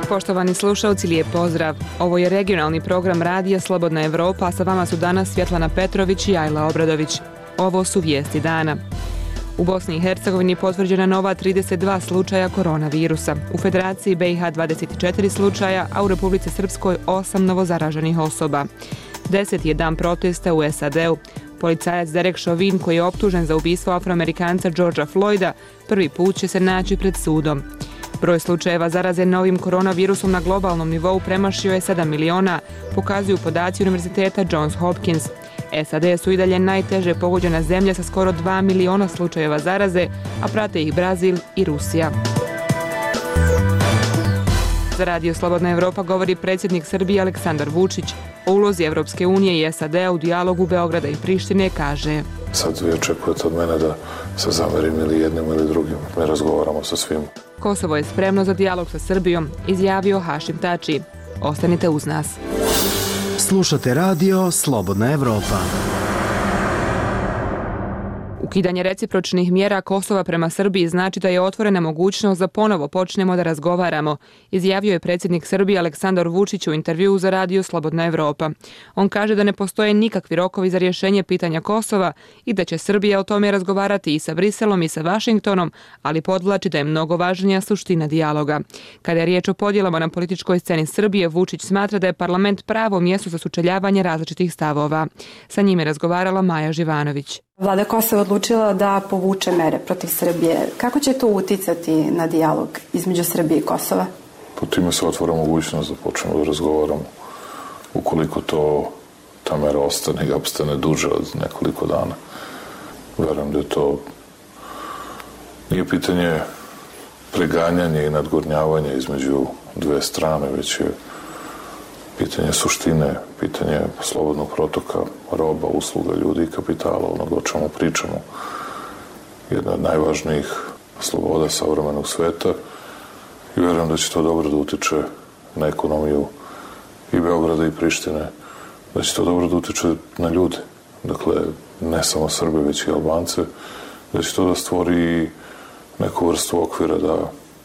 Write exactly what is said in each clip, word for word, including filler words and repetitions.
Poštovani slušalci, lijep pozdrav. Ovo je regionalni program radija Slobodna Evropa, a sa vama su danas Svjetlana Petrović i Ajla Obradović. Ovo su vijesti dana. U Bosni i Hercegovini potvrđena nova trideset dva slučaja koronavirusa. U Federaciji B i H dvadeset četiri slučaja, a u Republici Srpskoj osam novozaraženih osoba. Deseti je dan protesta u S A D-u. Policajac Derek Chauvin, koji je optužen za ubistvo Afroamerikanca Georgea Floyda, prvi put će se naći pred sudom. Broj slučajeva zaraze novim koronavirusom na globalnom nivou premašio je sedam miliona, pokazuju podaci Univerziteta Johns Hopkins. S A D su i dalje najteže pogođena zemlja sa skoro dva miliona slučajeva zaraze, a prate ih Brazil i Rusija. Za Radio Slobodna Evropa govori predsjednik Srbije Aleksandar Vučić. O ulozi Evropske unije i S A D-a u dijalogu Beograda i Prištine kaže: Sad vi očekujete od mene da se zamerim ili jednim ili drugim. Mi razgovaramo sa svim. Kosovo je spremno za dijalog sa Srbijom, izjavio Hašim Tači. Ostanite uz nas. Slušate radio Slobodna Evropa. Ukidanje recipročnih mjera Kosova prema Srbiji znači da je otvorena mogućnost da ponovo počnemo da razgovaramo, izjavio je predsjednik Srbije Aleksandar Vučić u intervjuu za radio Slobodna Evropa. On kaže da ne postoje nikakvi rokovi za rješenje pitanja Kosova i da će Srbija o tome razgovarati i sa Briselom i sa Vašingtonom, ali podvlači da je mnogo važnija suština dijaloga. Kada je riječ o podjelama na političkoj sceni Srbije, Vučić smatra da je parlament pravo mjesto za sučeljavanje različitih stavova. Sa njime je razgovarala Maja Živanović. Vlada Kosova odlučila da povuče mere protiv Srbije. Kako će to uticati na dijalog između Srbije i Kosova? Po time se otvara mogućnost da počnemo da razgovaramo. Ukoliko to, ta mera ostane i opstane duže od nekoliko dana. Verujem da je to nije pitanje preganjanja i nadgornjavanja između dve strane, već je pitanje suštine, pitanje slobodnog protoka roba, usluga, ljudi i kapitala, onoga o čemu pričamo. Jedna od najvažnijih sloboda savremenog sveta i vjerujem da će to dobro da utiče na ekonomiju i Beograda i Prištine, da će to dobro da utiče na ljude, dakle ne samo Srbe, već i Albance, da će to da stvori neku vrstu okvira da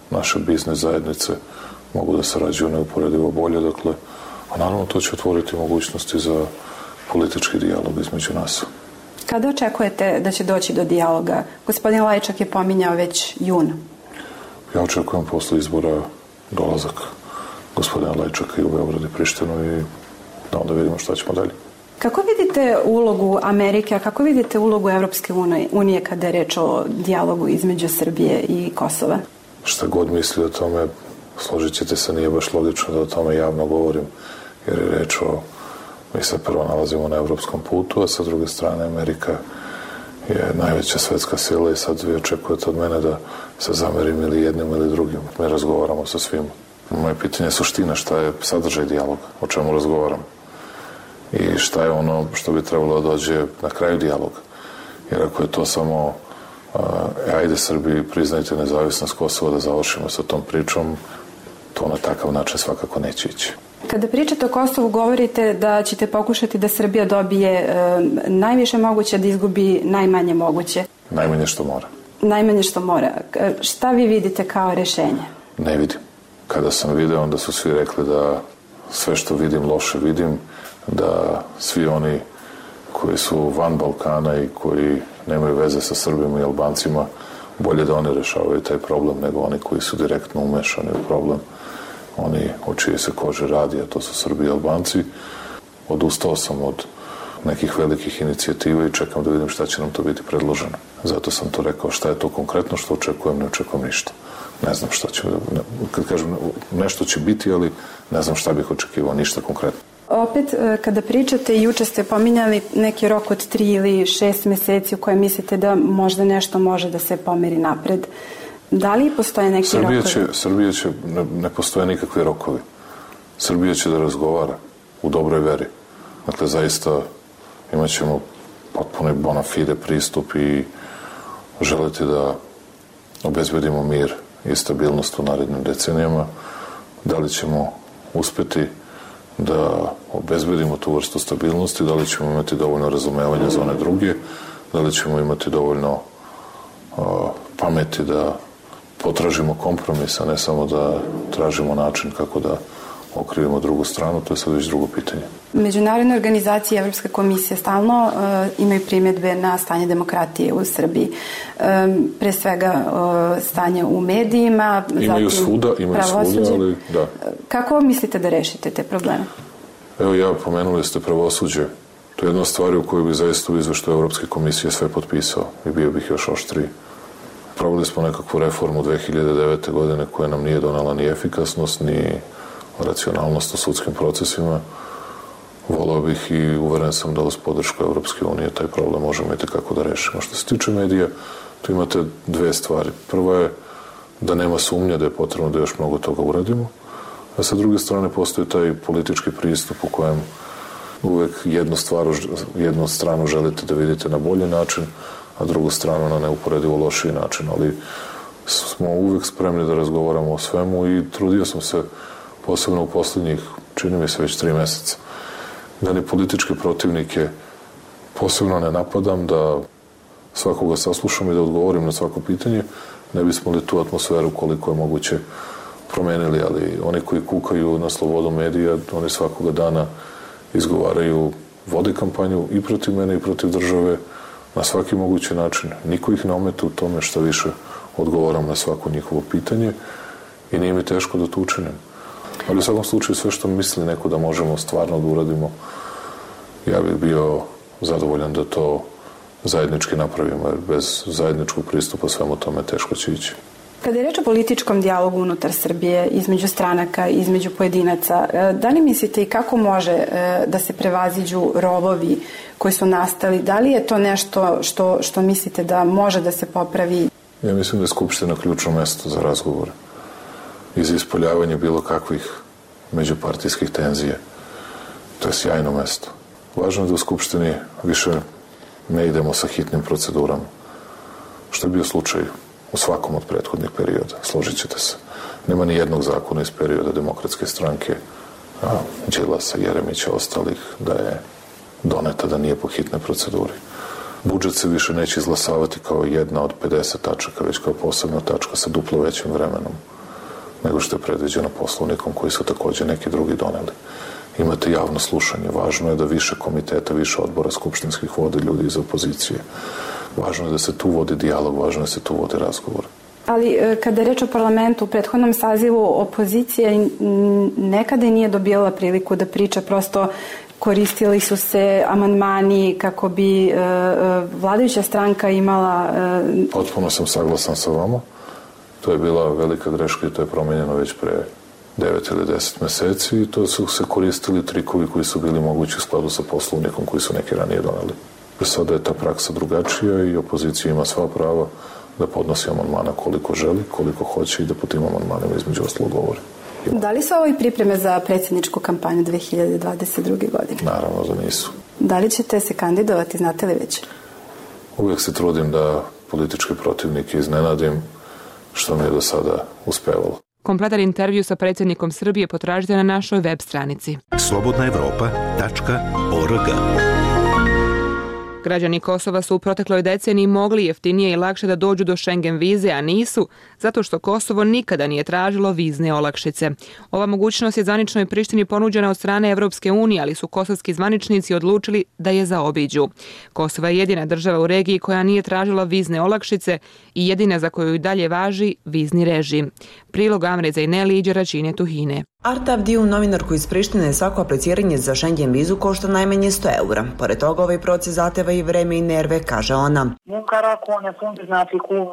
naše biznis zajednice mogu da sarađuju neuporedivo bolje, dakle, a naravno to će otvoriti mogućnosti za politički dijalog između nas. Kada očekujete da će doći do dijaloga? Gospodin Lajčak je pominjao već juna. Ja očekujem posle izbora dolazak gospodina Lajčaka i u Beograd i Prištinu i da onda vidimo šta ćemo dalje. Kako vidite ulogu Amerike, a kako vidite ulogu Evropske unije kada je reč o dijalogu između Srbije i Kosova? Šta god misli o tome, složit ćete se, nije baš logično da o tome javno govorim, jer je reč o, mi se prvo nalazimo na evropskom putu, a sa druge strane Amerika je najveća svetska sila i sad vi očekujete od mene da se zamerim ili jednim ili drugim. Mi razgovaramo sa svim. Moje pitanje je suština, šta je sadržaj dijaloga, o čemu razgovaramo i šta je ono što bi trebalo da dođe na kraju dijaloga. Jer ako je to samo e, ajde Srbiji priznajte nezavisnost Kosova da završimo sa tom pričom, to na takav način svakako neće ići. Kada pričate o Kosovu, govorite da ćete pokušati da Srbija dobije e, najviše moguće, da izgubi najmanje moguće. Najmanje što mora. Najmanje što mora. Šta vi vidite kao rješenje? Ne vidim. Kada sam video, onda su svi rekli da sve što vidim loše vidim, da svi oni koji su van Balkana i koji nemaju veze sa Srbima i Albancima, bolje da oni rešavaju taj problem nego oni koji su direktno umešani u problem. Oni o čije se kože radi, a to su Srbi i Albanci. Odustao sam od nekih velikih inicijativa i čekam da vidim šta će nam to biti predloženo. Zato sam to rekao, šta je to konkretno što očekujem, ne očekujem ništa. Ne znam šta će, kad kažem nešto će biti, ali ne znam šta bih očekivao, ništa konkretno. Opet, kada pričate, juče ste pominjali neki rok od tri ili šest meseci u kojem mislite da možda nešto može da se pomeri napred. Da li postoje neki Srbija rokovi? Će, Srbija će, ne, ne postoje nikakvi rokovi. Srbija će da razgovara u dobroj veri. Dakle, zaista imat ćemo potpuno bona fide pristup i želiti da obezbedimo mir i stabilnost u narednim decenijama. Da li ćemo uspeti da obezbedimo tu vrstu stabilnosti, da li ćemo imati dovoljno razumevanja za one druge, da li ćemo imati dovoljno uh, pameti da potražimo kompromis, a ne samo da tražimo način kako da okrivimo drugu stranu, to je sad već drugo pitanje. Međunarodne organizacije i Evropska komisija stalno uh, imaju primjedbe na stanje demokratije u Srbiji. Um, pre svega uh, stanje u medijima, imaju zatim svuda, imaju svuda, ali da. Kako mislite da rešite te probleme? Evo ja, pomenuli ste pravosuđe. To je jedna stvar u kojoj bi zaista u izveštaju Evropske komisije sve potpisao i bio bih još oštriji. Pravili smo nekakvu reformu dve hiljade devete. godine koja nam nije donala ni efikasnost, ni racionalnost u sudskim procesima. Volao bih i uveren sam da uz podršku Evropske unije taj problem možemo i tekako da rešimo. Što se tiče medija, tu imate dve stvari. Prva je da nema sumnje da je potrebno da još mnogo toga uradimo, a sa druge strane postoji taj politički pristup u kojem uvek jednu, stvar, jednu stranu želite da vidite na bolji način, a drugu stranu na neuporedivo lošiji način, ali smo uvek spremni da razgovaramo o svemu i trudio sam se posebno u poslednjih, čini mi se već tri meseca, da ni političke protivnike posebno ne napadam, da svakoga saslušam i da odgovorim na svako pitanje, ne bismo li tu atmosferu koliko je moguće promenili, ali oni koji kukaju na slobodu medija, oni svakoga dana izgovaraju, vode kampanju i protiv mene i protiv države na svaki mogući način. Niko ih ne ometa u tome, što više odgovaram na svako njihovo pitanje i nije mi teško da to učinim. Ali u svakom slučaju sve što misli neko da možemo stvarno da uradimo, ja bih bio zadovoljan da to zajednički napravimo, jer bez zajedničkog pristupa svemu tome teško će ići. Kada je reč o političkom dijalogu unutar Srbije, između stranaka, između pojedinaca, da li mislite i kako može da se prevaziđu rovovi koji su nastali? Da li je to nešto što, što mislite da može da se popravi? Ja mislim da je Skupština ključno mesto za razgovore i za ispoljavanje bilo kakvih međupartijskih tenzija. To je sjajno mesto. Važno je da u Skupštini više ne idemo sa hitnim procedurama, što je bio slučaj u svakom od prethodnih perioda, složit ćete se. Nema ni jednog zakona iz perioda Demokratske stranke, a Đilasa, Jeremića, ostalih, da je doneta da nije po hitne proceduri. Budžet se više neće izglasavati kao jedna od pedeset tačaka, već kao posebna tačka sa duplo većim vremenom nego što je predviđeno poslovnikom koji su takođe neki drugi doneli. Imate javno slušanje. Važno je da više komiteta, više odbora skupštinskih vode ljudi iz opozicije. Važno je da se tu vodi dijalog, važno je da se tu vodi razgovor. Ali kada je reč o parlamentu, u prethodnom sazivu opozicija nekada nije dobijala priliku da priča, prosto koristili su se amandmani kako bi vladajuća stranka imala... Potpuno sam saglasan sa vama. To je bila velika greška i to je promenjeno već pre devet ili deset meseci i to su se koristili trikovi koji su bili mogući u skladu sa poslovnikom koji su neki ranije doneli. Sada je ta praksa drugačija i opozicija ima sva prava da podnosi amandmana koliko želi, koliko hoće i da po tim amandmanima između ostalog govori. Da li su ovo i pripreme za predsjedničku kampanju dve hiljade dvadeset druge. godine? Naravno da nisu. Da li ćete se kandidovati, znate li već? Uvijek se trudim da političke protivnike iznenadim, što mi je do sada uspevalo. Kompletan intervju sa predsjednikom Srbije potražite na našoj web stranici slobodna evropa tačka org. Građani Kosova su u protekloj deceniji mogli jeftinije i lakše da dođu do Schengen vize, a nisu, zato što Kosovo nikada nije tražilo vizne olakšice. Ova mogućnost je zvaničnoj Prištini ponuđena od strane Evropske unije, ali su kosovski zvaničnici odlučili da je zaobiđu. Kosovo je jedina država u regiji koja nije tražila vizne olakšice i jedina za koju i dalje važi vizni režim. Prilog Amre Zajneli i Đeračine Tuhine. Arta Avdiju, novinarku iz Prištine, svako apliciranje za Schengen vizu košta najmanje sto eura. Pored toga, ovaj proces zahteva i vreme i nerve, kaže ona.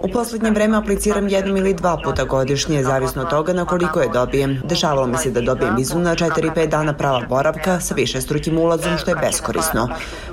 U posljednje vreme apliciram jednom ili dva puta godišnje, zavisno od toga na koliko je dobijem. Dešavalo mi se da dobijem vizu na četiri pet dana prava boravka sa višestrukim ulazom, što je beskorisno.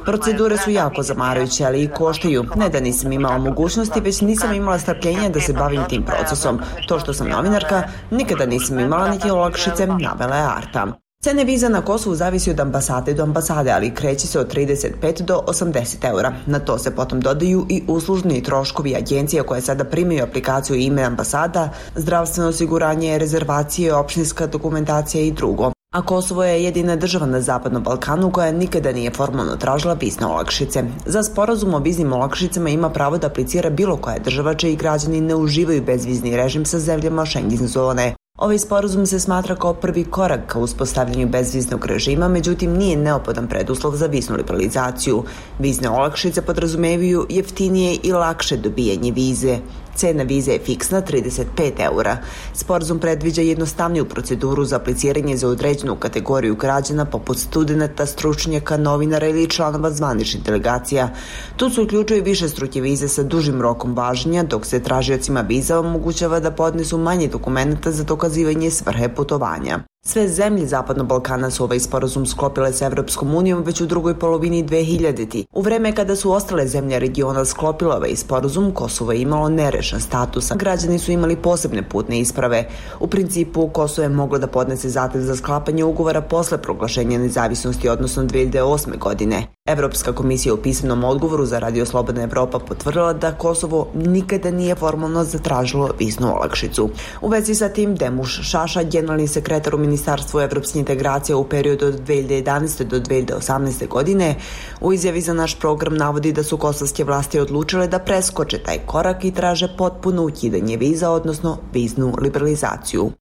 Procedure su jako zamarajuće, ali i koštaju. Ne da nisam imala mogućnosti, već nisam imala strpljenja da se bavim tim procesom. To što sam novinarka, nikada nisam imala niti olakšice, navela je Arta. Cene viza na Kosovu zavisi od ambasade do ambasade, ali kreće se od trideset pet do osamdeset eura. Na to se potom dodaju i uslužni troškovi agencija koje sada primaju aplikaciju ime ambasada, zdravstveno osiguranje, rezervacije, opštinska dokumentacija i drugo. A Kosovo je jedina država na Zapadnom Balkanu koja nikada nije formalno tražila vizne olakšice. Za sporazum o viznim olakšicama ima pravo da aplicira bilo koja država čiji građani ne uživaju bezvizni režim sa zemljama Schengen zone. Ovaj sporazum se smatra kao prvi korak ka uspostavljanju bezviznog režima, međutim nije neophodan preduslov za viznu liberalizaciju. Vizne olakšice podrazumevaju jeftinije i lakše dobijanje vize. Cena vize je fiksna trideset pet eura. Sporazum predviđa jednostavniju proceduru za apliciranje za određenu kategoriju građana poput studenta, stručnjaka, novinara ili članova zvaničnih delegacija. Tu se uključuju više struke vize sa dužim rokom važenja, dok se tražiocima viza omogućava da podnesu manje dokumenta za dokazivanje svrhe putovanja. Sve zemlje Zapadnog Balkana su ovaj sporazum sklopile sa Evropskom unijom već u drugoj polovini dve hiljadite. U vreme kada su ostale zemlje regiona sklopile ovaj sporazum, Kosovo je imalo nerešen status. Građani su imali posebne putne isprave. U principu, Kosovo je moglo da podnese zahtev za sklapanje ugovora posle proglašenja nezavisnosti, odnosno dve hiljade osme. godine. Evropska komisija u pisanom odgovoru za Radio Slobodna Evropa potvrdila da Kosovo nikada nije formalno zatražilo viznu olakšicu. U vezi sa tim, Demuš Šaša, generalni sekretar u Ministarstvu evropskih integracija u periodu od dve hiljade jedanaeste. do dve hiljade osamnaeste. godine, u izjavi za naš program navodi da su kosovske vlasti odlučile da preskoče taj korak i traže potpuno ukidanje viza, odnosno viznu liberalizaciju.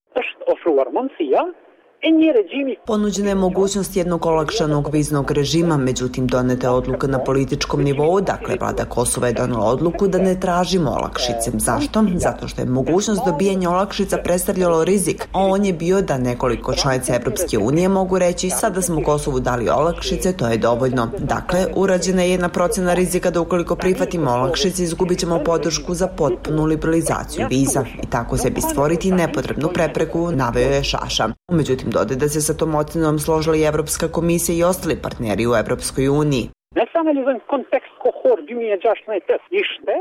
Ponuđena je mogućnost jednog olakšanog viznog režima, međutim doneta je odluka na političkom nivou, dakle vlada Kosova je donela odluku da ne tražimo olakšice. Zašto? Zato što je mogućnost dobijanja olakšica predstavljalo rizik, a on je bio da nekoliko članica Evropske unije mogu reći sada smo Kosovu dali olakšice, to je dovoljno. Dakle, urađena je jedna procena rizika da ukoliko prihvatimo olakšice izgubit ćemo podršku za potpunu liberalizaciju viza i tako sebi stvoriti nepotrebnu prepreku, naveo je Šaša. Međutim, dode da se sa tom ocenom složila i Evropska komisija i ostali partneri u Evropskoj uniji.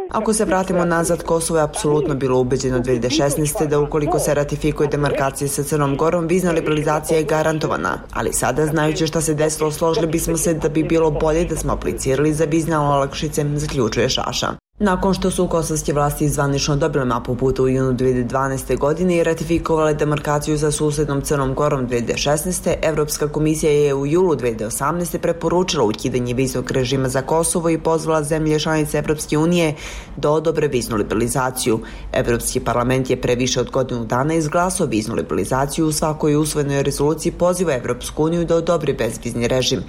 Ako se vratimo nazad, Kosovo je apsolutno bilo ubeđeno dve hiljade šesnaeste. da ukoliko se ratifikuje demarkacija sa Crnom Gorom, vizna liberalizacija je garantovana. Ali sada, znajući šta se desilo, složili bismo se da bi bilo bolje da smo aplicirali za vizne olakšice, zaključuje Šaša. Nakon što su kosovske vlasti zvanično dobile mapu puta u junu dve hiljade dvanaeste. godine i ratifikovale demarkaciju sa susednom Crnom Gorom dve hiljade šesnaeste. Evropska komisija je u julu dve hiljade osamnaeste. preporučila ukidanje viznog režima za Kosovo i pozvala zemlje članice Evropske unije da odobre viznu liberalizaciju. Evropski parlament je pre više od godinu dana izglasao viznu liberalizaciju, u svakoj usvojenoj rezoluciji poziva Evropsku uniju da odobri bezvizni režim.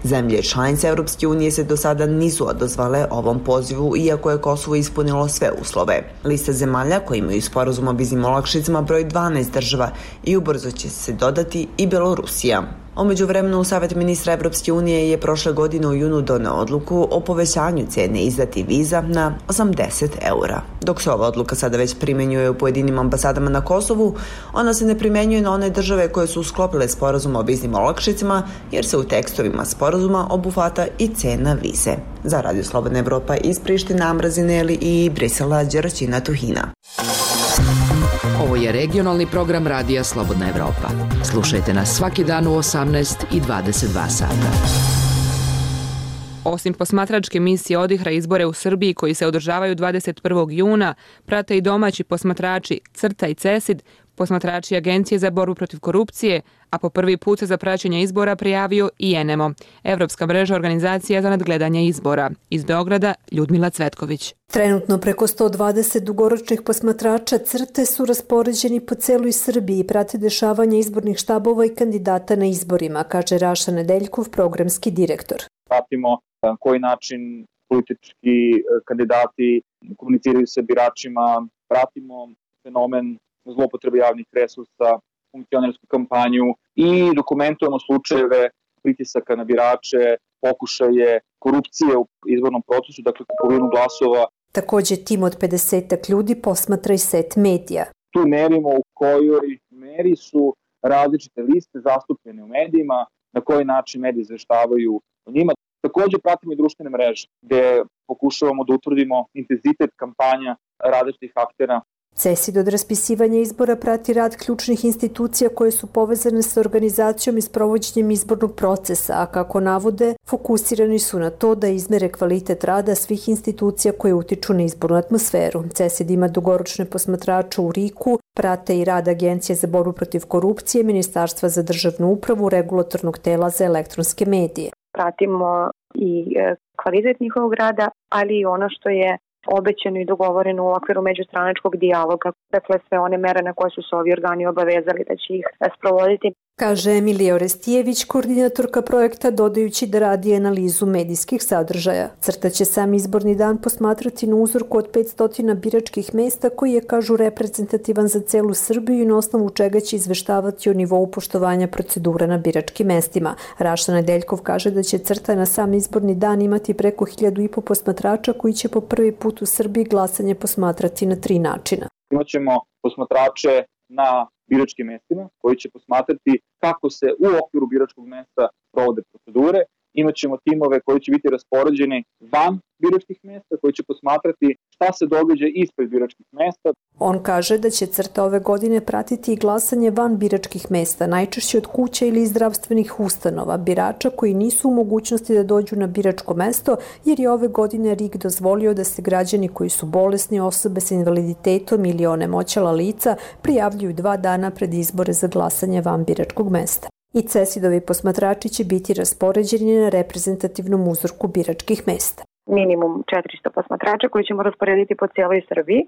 Zemlje članice Evropske unije se do sada nisu odazvale ovom pozivu, iako je Kosovo ispunilo sve uslove. Lista zemalja koji imaju sporazum o viznim olakšicama broj dvanaest država i ubrzo će se dodati i Belorusija. U međuvremenu, Savet ministra Evropske unije je prošle godine u junu doneo odluku o povećanju cene izdati viza na osamdeset eura. Dok se ova odluka sada već primenjuje u pojedinim ambasadama na Kosovu, ona se ne primenjuje na one države koje su sklopile sporazum o viznim olakšicama, jer se u tekstovima sporazuma obuhvata i cena vize. Za Radio Slobodna Evropa iz Prištine, Amra Zineli i Brisela, Đeraćina Tuhina. Ovo je regionalni program Radija Slobodna Evropa. Slušajte nas svaki dan u osamnaest i dvadeset dva sata. Osim posmatračke misije odihra izbore u Srbiji koji se održavaju dvadeset prvog juna, prate i domaći posmatrači CRTA i CESID, posmatrači Agencije za borbu protiv korupcije, a po prvi put se za praćenje izbora prijavio i ENEMO, Evropska mreža organizacija za nadgledanje izbora. Iz Beograda, Ljudmila Cvetković. Trenutno preko sto dvadeset dugoročnih posmatrača CRTE su raspoređeni po celoj Srbiji i prate dešavanje izbornih štabova i kandidata na izborima, kaže Raša Nedeljkov, programski direktor. Pratimo na koji način politički kandidati komuniciraju sa biračima, pratimo fenomen zloupotrebe javnih resursa, funkcionersku kampanju i dokumentujemo slučajeve pritisaka na birače, pokušaje korupcije u izbornom procesu, dakle kupovinu glasova. Takođe, tim od pedesetak ljudi posmatra i set medija. Tu merimo u kojoj meri su različite liste zastupljene u medijima, na koji način mediji izveštavaju o njima. Takođe pratimo i društvene mreže, gde pokušavamo da utvrdimo intenzitet kampanja različitih aktera. CESID od raspisivanja izbora prati rad ključnih institucija koje su povezane sa organizacijom i sprovođenjem izbornog procesa, a kako navode, fokusirani su na to da izmere kvalitet rada svih institucija koje utiču na izbornu atmosferu. CESID ima dugoročne posmatrače u Riku, Prate i rad Agencije za borbu protiv korupcije, Ministarstva za državnu upravu, Regulatornog tela za elektronske medije. Pratimo i kvalitet njihovog rada, ali i ono što je obećano i dogovoreno u okviru međustranačkog dijaloga, dakle sve one mere na koje su se ovi organi obavezali da će ih sprovoditi. Kaže Emilija Orestijević, koordinatorka projekta, dodajući da radi analizu medijskih sadržaja. CRTA će sam izborni dan posmatrati na uzorku od petsto biračkih mesta koji je, kažu, reprezentativan za celu Srbiju i na osnovu čega će izveštavati o nivou poštovanja procedura na biračkim mestima. Raša Nedeljkov kaže da će CRTA na sam izborni dan imati preko hiljadu i po posmatrača koji će po prvi put u Srbiji glasanje posmatrati na tri načina. Imaćemo posmatrače na biračkim mestima koji će posmatrati kako se u okviru biračkog mesta provode procedure. Imaćemo timove koji će biti raspoređeni van biračkih mesta, koji će posmatrati šta se događa ispred biračkih mesta. On kaže da će CRTA ove godine pratiti i glasanje van biračkih mesta, najčešće od kuća ili iz zdravstvenih ustanova, birača koji nisu u mogućnosti da dođu na biračko mesto, jer je ove godine R I K dozvolio da se građani koji su bolesni, osobe sa invaliditetom ili onemoćala lica prijavljuju dva dana pred izbore za glasanje van biračkog mesta. I CESID-ovi posmatrači će biti raspoređeni na reprezentativnom uzorku biračkih mesta. Minimum četiristo posmatrača koji ćemo rasporediti po cijeloj Srbiji.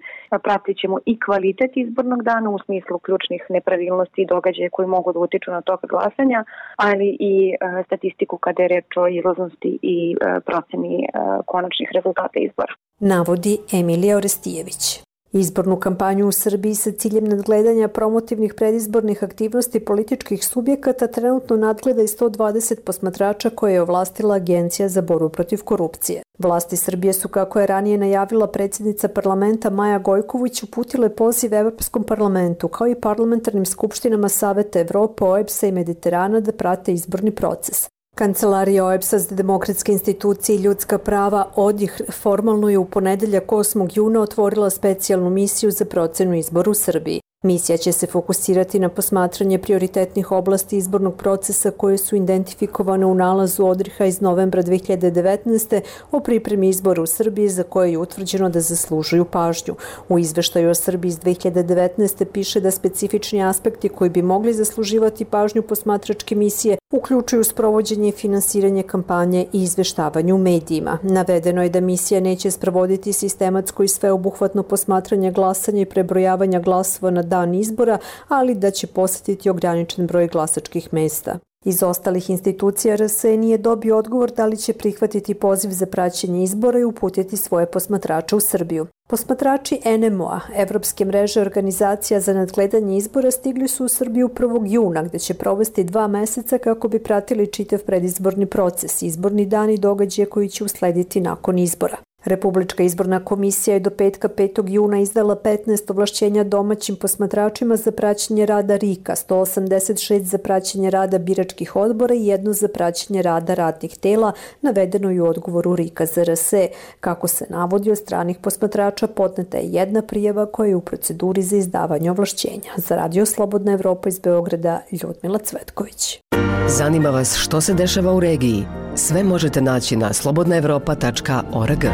Pratit ćemo i kvalitet izbornog dana u smislu ključnih nepravilnosti i događaja koji mogu da utiču na tok glasanja, ali i statistiku kada je reč o izlaznosti i proceni konačnih rezultata izbora. Navodi Emilija Orestijević. Izbornu kampanju u Srbiji sa ciljem nadgledanja promotivnih predizbornih aktivnosti političkih subjekata trenutno nadgleda i sto dvadeset posmatrača koje je ovlastila Agencija za borbu protiv korupcije. Vlasti Srbije su, kako je ranije najavila predsjednica parlamenta Maja Gojković, uputile poziv Evropskom parlamentu kao i parlamentarnim skupštinama Saveta Evrope, O E B S-a i Mediterana da prate izborni proces. Kancelarija O E B S-a za demokratske institucije i ljudska prava O D I H formalno je u ponedeljak osmog juna otvorila specijalnu misiju za procenu izbora u Srbiji. Misija će se fokusirati na posmatranje prioritetnih oblasti izbornog procesa koje su identifikovane u nalazu O D R I H-a iz novembra dve hiljade devetnaeste. o pripremi izbora u Srbiji za koje je utvrđeno da zaslužuju pažnju. U izveštaju o Srbiji iz dve hiljade devetnaeste. piše da specifični aspekti koji bi mogli zasluživati pažnju posmatračke misije uključuju sprovođenje i finansiranje kampanje i izveštavanje u medijima. Navedeno je da misija neće sprovoditi sistematsko i sveobuhvatno posmatranje glasanja i prebrojavanja glasova na dan izbora, ali da će posjetiti ograničen broj glasačkih mesta. Iz ostalih institucija R S E nije dobio odgovor da li će prihvatiti poziv za praćenje izbora i uputiti svoje posmatrače u Srbiju. Posmatrači N M O-a, Evropske mreže organizacija za nadgledanje izbora, stigli su u Srbiju prvog juna, gde će provesti dva meseca kako bi pratili čitav predizborni proces, izborni dan i događaje koji će uslediti nakon izbora. Republička izborna komisija je do petka petog juna izdala petnaest ovlašćenja domaćim posmatračima za praćenje rada R I K-a, sto osamdeset šest za praćenje rada biračkih odbora i jedno za praćenje rada radnih tela, navedeno i u odgovoru R I K-a za R S E. Kako se navodi, od stranih posmatrača podneta je jedna prijava koja je u proceduri za izdavanje ovlašćenja. Za Radio Slobodna Evropa iz Beograda, Ljudmila Cvetković. Zanima vas što se dešava u regiji? Sve možete naći na slobodna evropa tačka org.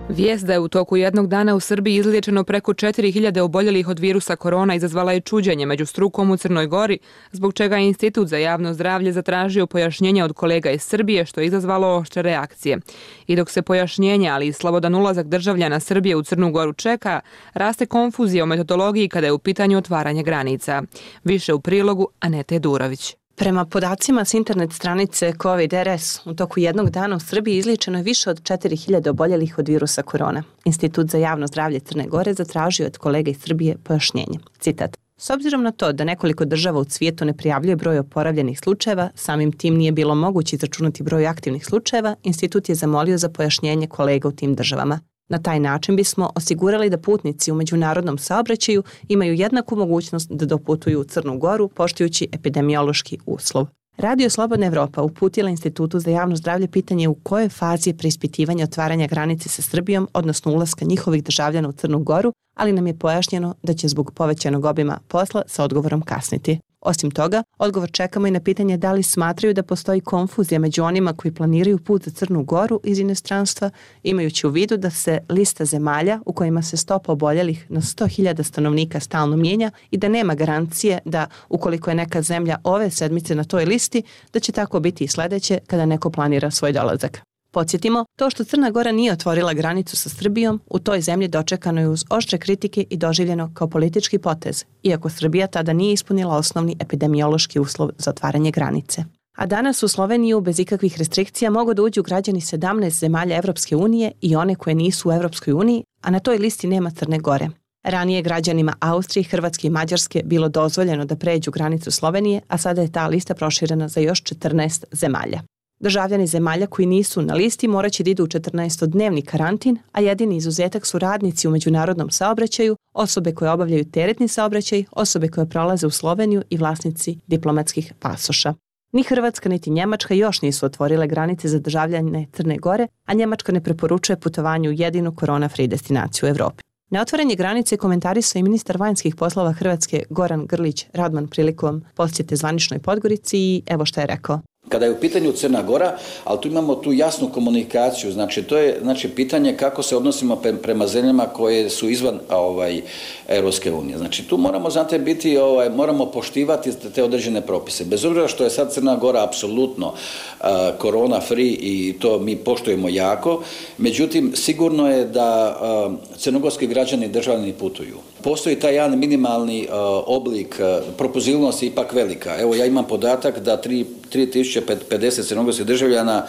Vijest da je u toku jednog dana u Srbiji izliječeno preko četiri hiljade oboljelih od virusa korona izazvala je čuđenje među strukom u Crnoj Gori, zbog čega je Institut za javno zdravlje zatražio pojašnjenje od kolega iz Srbije, što je izazvalo oštre reakcije. I dok se pojašnjenje, ali i slobodan ulazak državljana Srbije u Crnu Goru čeka, raste konfuzija o metodologiji kada je u pitanju otvaranje granica. Više u prilogu Anete Durović. Prema podacima s internet stranice COVID R S, u toku jednog dana u Srbiji izliječeno je više od četiri hiljade oboljelih od virusa korona. Institut za javno zdravlje Crne Gore zatražio od kolega iz Srbije pojašnjenje. Citat. S obzirom na to da nekoliko država u svijetu ne prijavljuje broj oporavljenih slučajeva, samim tim nije bilo moguće izračunati broj aktivnih slučajeva, institut je zamolio za pojašnjenje kolega u tim državama. Na taj način bismo osigurali da putnici u međunarodnom saobraćaju imaju jednaku mogućnost da doputuju u Crnu Goru poštujući epidemiološki uslov. Radio Slobodna Evropa uputila Institutu za javno zdravlje pitanje u kojoj fazi je preispitivanje otvaranja granice sa Srbijom, odnosno ulaska njihovih državljana u Crnu Goru, ali nam je pojašnjeno da će zbog povećanog obima posla sa odgovorom kasniti. Osim toga, odgovor čekamo i na pitanje da li smatraju da postoji konfuzija među onima koji planiraju put za Crnu Goru iz inostranstva, imajući u vidu da se lista zemalja u kojima se stopa oboljelih na sto hiljada stanovnika stalno mijenja i da nema garancije da, ukoliko je neka zemlja ove sedmice na toj listi, da će tako biti i sledeće kada neko planira svoj dolazak. Podsjetimo, to što Crna Gora nije otvorila granicu sa Srbijom, u toj zemlji dočekano je uz oštre kritike i doživljeno kao politički potez, iako Srbija tada nije ispunila osnovni epidemiološki uslov za otvaranje granice. A danas u Sloveniju bez ikakvih restrikcija mogu da uđu građani sedamnaest zemalja Evropske unije i one koje nisu u Evropskoj uniji, a na toj listi nema Crne Gore. Ranije građanima Austrije, Hrvatske i Mađarske bilo dozvoljeno da pređu granicu Slovenije, a sada je ta lista proširena za još četrnaest zemalja. Državljani zemalja koji nisu na listi moraće da idu u četrnaestodnevni karantin, a jedini izuzetak su radnici u međunarodnom saobraćaju, osobe koje obavljaju teretni saobraćaj, osobe koje prolaze u Sloveniju i vlasnici diplomatskih pasoša. Ni Hrvatska niti Njemačka još nisu otvorile granice za državljane Crne Gore, a Njemačka ne preporučuje putovanje u jedinu korona-free destinaciju u Evropi. Na otvaranje granice komentarisao i ministar vanjskih poslova Hrvatske Goran Grlić Radman prilikom posjete zvaničnoj Podgorici i evo što je rekao. Kada je u pitanju Crna Gora, ali tu imamo tu jasnu komunikaciju, znači to je znači pitanje kako se odnosimo prema zemljama koje su izvan ovaj Europske unije. Znači tu moramo znate biti ovaj moramo poštivati te određene propise. Bez obzira što je sad Crna Gora apsolutno uh, korona free i to mi poštujemo jako, međutim sigurno je da uh, crnogorski građani državljani putuju. Postoji taj jedan minimalni uh, oblik uh, propozivnosti ipak velika. Evo ja imam podatak da tri tisuće pedeset crnogorskih državljana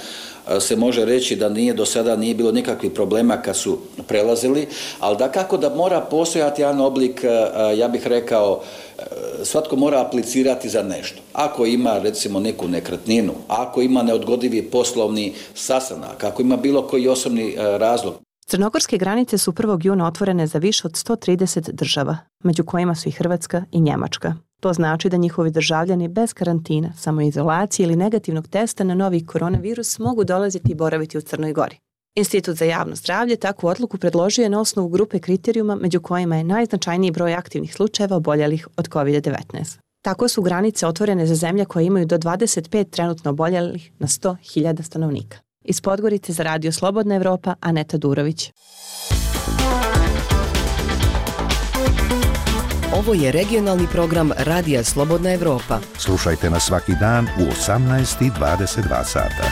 se može reći da nije do sada nije bilo nikakvih problema kad su prelazili, ali da kako da mora postojati jedan oblik, ja bih rekao, svatko mora aplicirati za nešto. Ako ima recimo neku nekretninu, ako ima neodgodivi poslovni sastanak, ako ima bilo koji osobni razlog. Crnogorske granice su prvog juna otvorene za više od sto trideset država, među kojima su i Hrvatska i Njemačka. To znači da njihovi državljani bez karantina, samoizolacije ili negativnog testa na novi koronavirus mogu dolaziti i boraviti u Crnoj Gori. Institut za javno zdravlje takvu odluku predložio je na osnovu grupe kriterijuma među kojima je najznačajniji broj aktivnih slučajeva oboljelih od kovid devetnaest. Tako su granice otvorene za zemlje koje imaju do dvadeset pet trenutno oboljelih na sto hiljada stanovnika. Iz Podgorice za Radio Slobodna Evropa, Aneta Durović. Ovo je regionalni program Radija Slobodna Evropa. Slušajte nas svaki dan u osamnaest i dvadeset dva sata.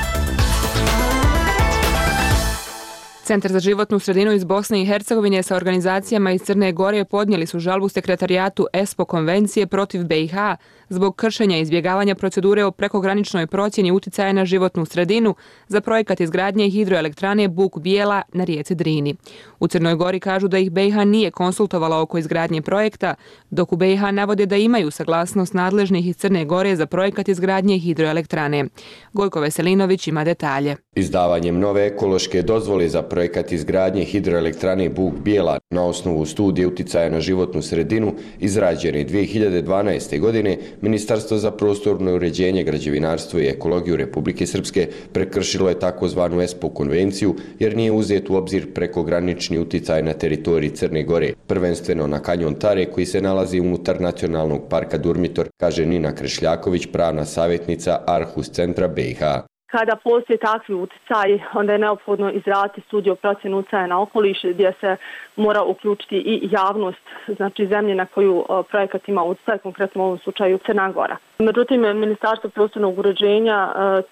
Centar za životnu sredinu iz Bosne i Hercegovine sa organizacijama iz Crne Gore podnijeli su žalbu sekretarijatu ESPO konvencije protiv B i H zbog kršenja i izbjegavanja procedure o prekograničnoj procjeni uticaja na životnu sredinu za projekat izgradnje hidroelektrane Buk Bijela na rijeci Drini. U Crnoj Gori kažu da ih B i H nije konsultovala oko izgradnje projekta, dok u B i H navode da imaju saglasnost nadležnih iz Crne Gore za projekat izgradnje hidroelektrane. Gojko Veselinović ima detalje. Izdavanjem nove ekološke dozvole za projekat izgradnje hidroelektrane Buk Bijela na osnovu studije uticaja na životnu sredinu izrađene dvije hiljade dvanaeste. godine, Ministarstvo za prostorno uređenje, građevinarstvo i ekologiju Republike Srpske prekršilo je takozvanu ESPO konvenciju jer nije uzet u obzir prekogranični uticaj na teritoriji Crne Gore, prvenstveno na kanjon Tare koji se nalazi unutar nacionalnog parka Durmitor, kaže Nina Krešljaković, pravna savjetnica Arhus centra B i H. Kada postoje takvi uticaji, onda je neophodno izraditi studiju o procjeni uticaja na okoliš gdje se mora uključiti i javnost, znači zemlje na koju projekat ima uticaj, konkretno u ovom slučaju Crna Gora. Međutim, Ministarstvo prostornog uređenja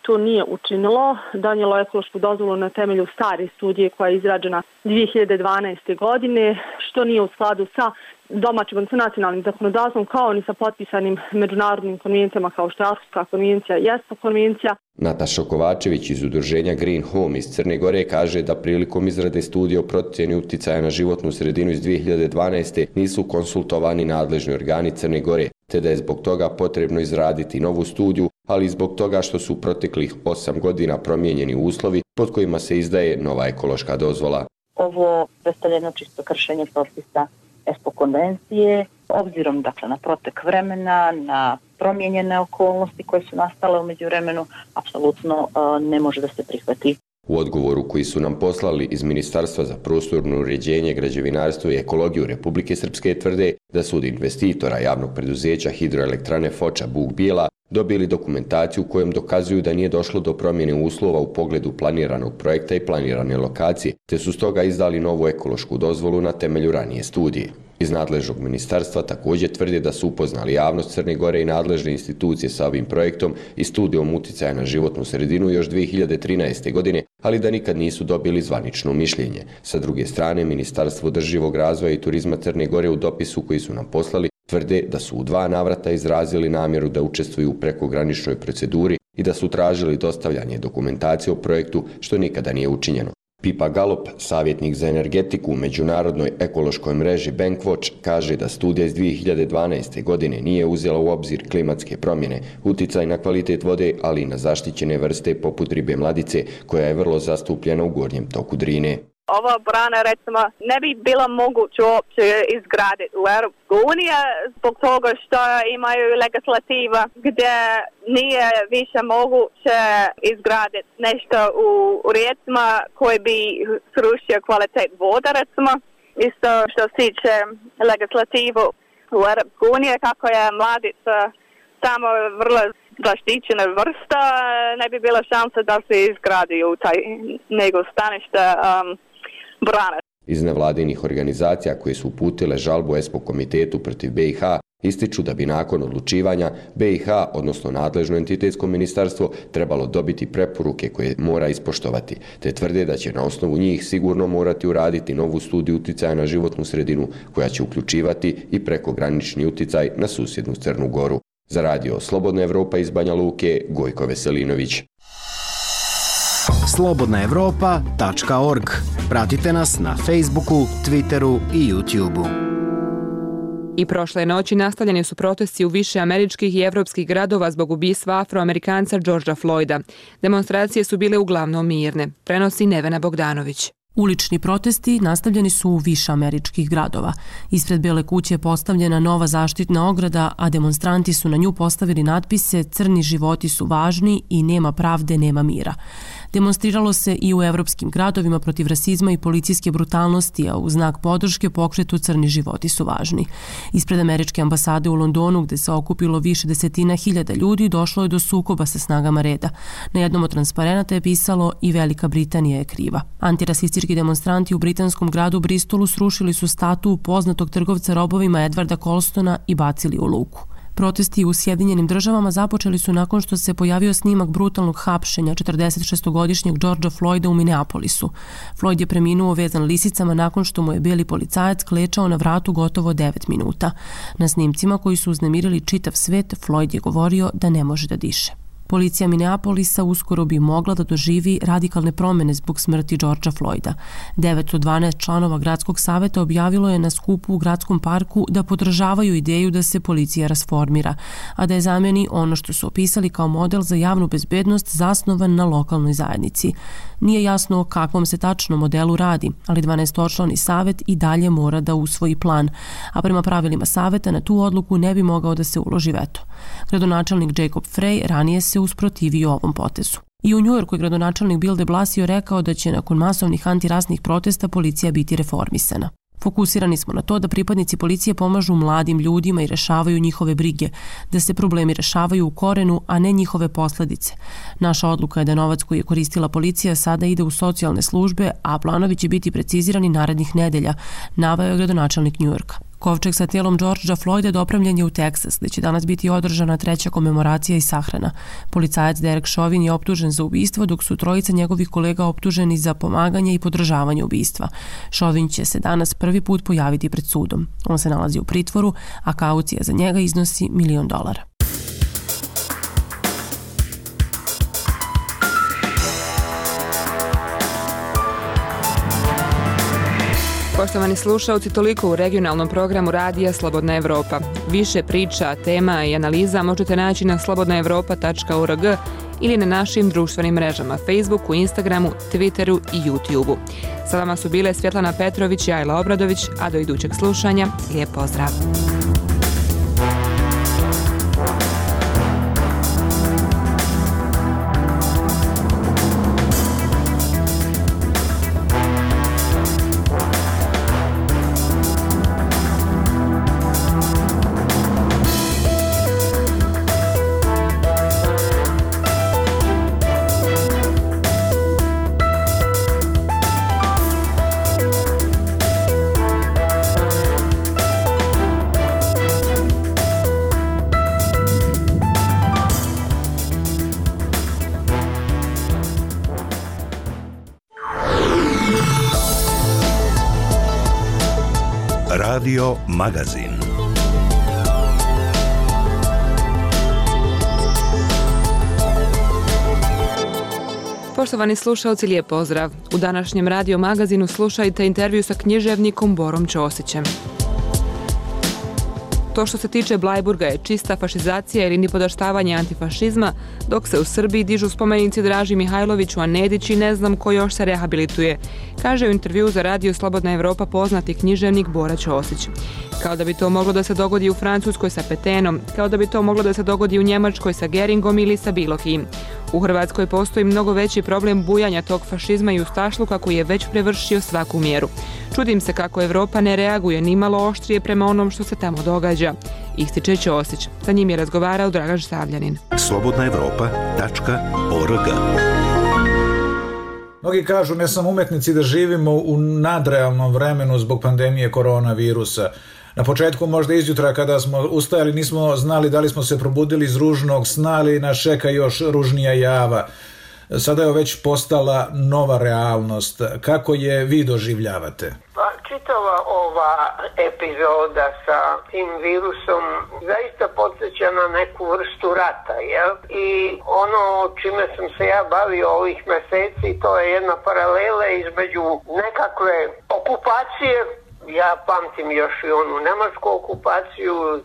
to nije učinilo, donijelo ekološku dozvolu na temelju stare studije koja je izrađena dvije hiljade dvanaeste. godine, što nije u skladu sa domaćim, odnosno nacionalnim zakonodavstvom, kao ni sa potpisanim međunarodnim konvencijama kao što je Arhuska konvencija i ESPO konvencija. Nataša Kovačević iz udruženja Green Home iz Crne Gore kaže da prilikom izrade studije o procjeni uticaja na životnu sredinu iz dvije hiljade dvanaeste. nisu konsultovani nadležni organi Crne Gore, te da je zbog toga potrebno izraditi novu studiju, ali i zbog toga što su proteklih osam godina promijenjeni uslovi pod kojima se izdaje nova ekološka dozvola. Ovo predstavlja jedno čisto kršenje propisa ESPO konvencije, obzirom dakle na protek vremena, na promijenjene okolnosti koje su nastale u međuvremenu, apsolutno uh, ne može da se prihvati. U odgovoru koji su nam poslali iz Ministarstva za prostorno uređenje, građevinarstvo i ekologiju Republike Srpske tvrde da su od investitora javnog preduzeća hidroelektrane Foča Buk Bijela dobili dokumentaciju kojom dokazuju da nije došlo do promjene uslova u pogledu planiranog projekta i planirane lokacije, te su stoga izdali novu ekološku dozvolu na temelju ranije studije. Iz nadležnog ministarstva također tvrde da su upoznali javnost Crne Gore i nadležne institucije sa ovim projektom i studijom uticaja na životnu sredinu još dvije hiljade trinaeste. godine, ali da nikad nisu dobili zvanično mišljenje. Sa druge strane, Ministarstvo održivog razvoja i turizma Crne Gore u dopisu koji su nam poslali tvrde da su u dva navrata izrazili namjeru da učestvuju u prekograničnoj proceduri i da su tražili dostavljanje dokumentacije o projektu, što nikada nije učinjeno. Pipa Galop, savjetnik za energetiku u međunarodnoj ekološkoj mreži Bankwatch, kaže da studija iz dvije hiljade dvanaeste. godine nije uzela u obzir klimatske promjene, uticaj na kvalitet vode, ali i na zaštićene vrste poput ribe mladice, koja je vrlo zastupljena u gornjem toku Drine. Ova brana, recimo, ne bi bila moguće uopće izgraditi u Europskoj uniji zbog toga što imaju legislativa gdje nije više moguće izgraditi nešto u, u rijecima koji bi srušio kvalitet voda, recimo. Isto što se tiče legislativu u Europskoj uniji, kako je mladica samo vrlo zaštićena vrsta, ne bi bila šansa da se izgradi u taj nego stanište um, brane. Iz nevladinih organizacija koje su uputile žalbu ESPO komitetu protiv B i H ističu da bi nakon odlučivanja B i H, odnosno nadležno entitetsko ministarstvo, trebalo dobiti preporuke koje mora ispoštovati, te tvrde da će na osnovu njih sigurno morati uraditi novu studiju uticaja na životnu sredinu koja će uključivati i prekogranični uticaj na susjednu Crnu Goru. Za radio Slobodna Evropa iz Banja Luke, Gojko Veselinović. slobodna evropa tačka org. Pratite nas na Facebooku, Twitteru i YouTubeu. I prošle noći nastavljeni su protesti u više američkih i evropskih gradova zbog ubistva Afroamerikanca Georgea Floyda. Demonstracije su bile uglavnom mirne, prenosi Nevena Bogdanović. Ulični protesti nastavljeni su u više američkih gradova. Ispred Bele kuće je postavljena nova zaštitna ograda, a demonstranti su na nju postavili natpise "Crni životi su važni" i "Nema pravde, nema mira". Demonstriralo se i u evropskim gradovima protiv rasizma i policijske brutalnosti, a u znak podrške pokretu "Crni životi su važni". Ispred američke ambasade u Londonu, gde se okupilo više desetina hiljada ljudi, došlo je do sukoba sa snagama reda. Na jednom od transparenata je pisalo "I Velika Britanija je kriva". Antirasistički demonstranti u britanskom gradu Bristolu srušili su statu poznatog trgovca robovima Edwarda Colstona i bacili u luku. Protesti u Sjedinjenim državama započeli su nakon što se pojavio snimak brutalnog hapšenja četrdesetšestogodišnjeg Georgea Floyda u Minneapolisu. Floyd je preminuo vezan lisicama nakon što mu je beli policajac klečao na vratu gotovo devet minuta. Na snimcima koji su uznemirili čitav svet, Floyd je govorio da ne može da diše. Policija Minneapolisa uskoro bi mogla da doživi radikalne promjene zbog smrti Georgea Floyda. devet od dvanaest članova gradskog saveta objavilo je na skupu u gradskom parku da podržavaju ideju da se policija rasformira, a da je zameni ono što su opisali kao model za javnu bezbednost zasnovan na lokalnoj zajednici. Nije jasno o kakvom se tačno modelu radi, ali dvanaestočlani savet i dalje mora da usvoji plan, a prema pravilima saveta na tu odluku ne bi mogao da se uloži veto. Gradonačelnik Jacob Frey ranije se usprotivio ovom potezu. I u Njujorku je gradonačelnik Bill de Blasio rekao da će nakon masovnih antirasnih protesta policija biti reformisana. Fokusirani smo na to da pripadnici policije pomažu mladim ljudima i rešavaju njihove brige, da se problemi rešavaju u korenu, a ne njihove posljedice. Naša odluka je da novac koji je koristila policija sada ide u socijalne službe, a planovi će biti precizirani narednih nedelja, naveo je gradonačelnik Njujorka. Kovčeg sa tijelom Georgea Floyda dopravljen je u Teksas, gdje će danas biti održana treća komemoracija i sahrana. Policajac Derek Chauvin je optužen za ubistvo, dok su trojica njegovih kolega optuženi za pomaganje i podržavanje ubistva. Chauvin će se danas prvi put pojaviti pred sudom. On se nalazi u pritvoru, a kaucija za njega iznosi milion dolara. Poštovani slušalci, toliko u regionalnom programu Radija Slobodna Evropa. Više priča, tema i analiza možete naći na slobodna evropa tačka org ili na našim društvenim mrežama Facebooku, Instagramu, Twitteru i YouTubeu. Sa vama su bile Svjetlana Petrović i Ajla Obradović, a do idućeg slušanja, lijep pozdrav! Radio Magazin. Poštovani slušalci, lijep pozdrav. U današnjem Radio Magazinu slušajte intervju sa književnikom Borom Ćosićem. To što se tiče Blajburga je čista fašizacija ili nipodaštavanje antifašizma, dok se u Srbiji dižu spomenici Draži Mihajloviću, a Nedić i ne znam ko još se rehabilituje, kaže u intervju za Radio Slobodna Evropa poznati književnik Bora Ćosić. Kao da bi to moglo da se dogodi u Francuskoj sa Petenom, kao da bi to moglo da se dogodi u Njemačkoj sa Geringom ili sa bilo kim. U Hrvatskoj postoji mnogo veći problem bujanja tog fašizma i ustašluka koji je već prevršio svaku mjeru. Čudim se kako Evropa ne reaguje ni malo oštrije prema onom što se tamo događa, ističe Ćosić. Sa njim je razgovarao Dragan Stavljanin. slobodna evropa tačka org. Mnogi kažu, ne samo umetnici, da živimo u nadrealnom vremenu zbog pandemije koronavirusa. Na početku možda izjutra kada smo ustajali nismo znali da li smo se probudili iz ružnog sna ili nas čeka još ružnija java. Sada je već postala nova realnost. Kako je vi doživljavate? Pa, čitava ova epizoda sa tim virusom zaista podsjeća na neku vrstu rata, jel? I ono čime sam se ja bavio ovih meseci, to je jedna paralela između nekakve okupacije. Ja pamtim još i onu nemačku okupaciju e,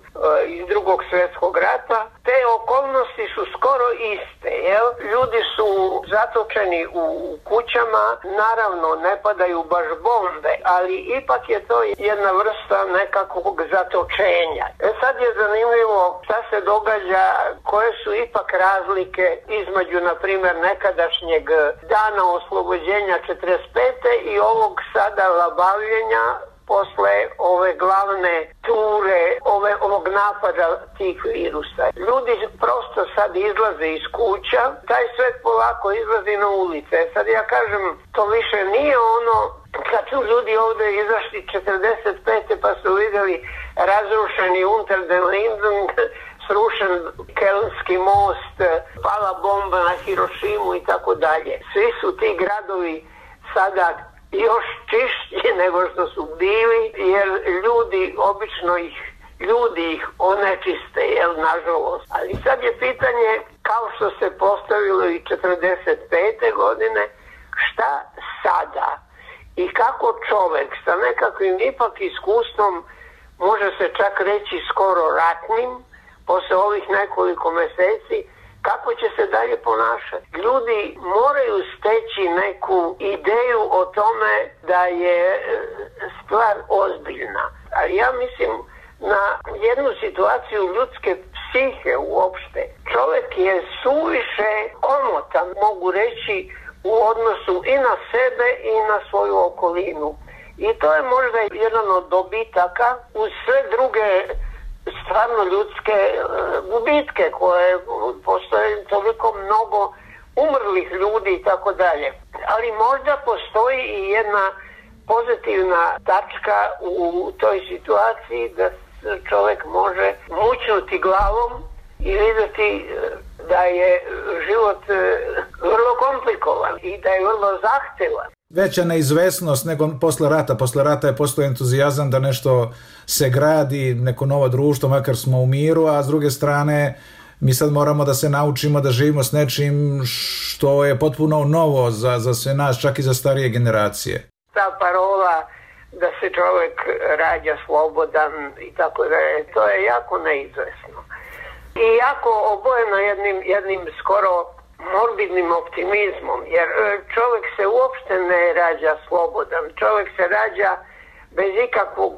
iz drugog svjetskog rata. Te okolnosti su skoro iste, jel? Ljudi su zatočeni u kućama, naravno ne padaju baš bombe, ali ipak je to jedna vrsta nekakvog zatočenja. E sad je zanimljivo šta se događa, koje su ipak razlike između, na primjer, nekadašnjeg dana oslobođenja četrdeset pete i ovog sada labavljenja posle ove glavne ture, ove, ovog napada tih virusa. Ljudi prosto sad izlaze iz kuća, taj svet polako izlazi na ulice. Sad ja kažem, to više nije ono kad su ljudi ovdje izašli četrdeset pete pa su vidjeli razrušeni Unter den Linden, srušen Kelnski most, pala bomba na Hirošimu i tako dalje. Svi su ti gradovi sada još čišći nego što su bili, jer ljudi, obično ih, ljudi ih onečiste, jel, nažalost. Ali sad je pitanje, kao što se postavilo i četrdeset pete godine, šta sada? I kako čovjek sa nekakvim ipak iskustvom, može se čak reći skoro ratnim, posle ovih nekoliko meseci, kako će se dalje ponašati. Ljudi moraju steći neku ideju o tome da je stvar ozbiljna. A ja mislim na jednu situaciju ljudske psihe uopšte. Čovjek je suviše komotan, mogu reći, u odnosu i na sebe i na svoju okolinu. I to je možda jedan od dobitaka uz sve druge stvarno ljudske gubitke koje postoje, toliko mnogo umrlih ljudi i tako dalje. Ali možda postoji i jedna pozitivna tačka u toj situaciji da čovjek može mućnuti glavom i vidjeti da je život vrlo komplikovan i da je vrlo zahtevan. Veća neizvesnost nego posle rata. Posle rata je postao entuzijazam da nešto se gradi, neko novo društvo, makar smo u miru, a s druge strane mi sad moramo da se naučimo da živimo s nečim što je potpuno novo za, za sve nas, čak i za starije generacije. Ta parola da se čovjek rađa slobodan i tako da je, to je jako neizvesno. I jako obojeno jednim, jednim skoro morbidnim optimizmom, jer čovjek se uopšte ne rađa slobodan, čovjek se rađa bez ikakvog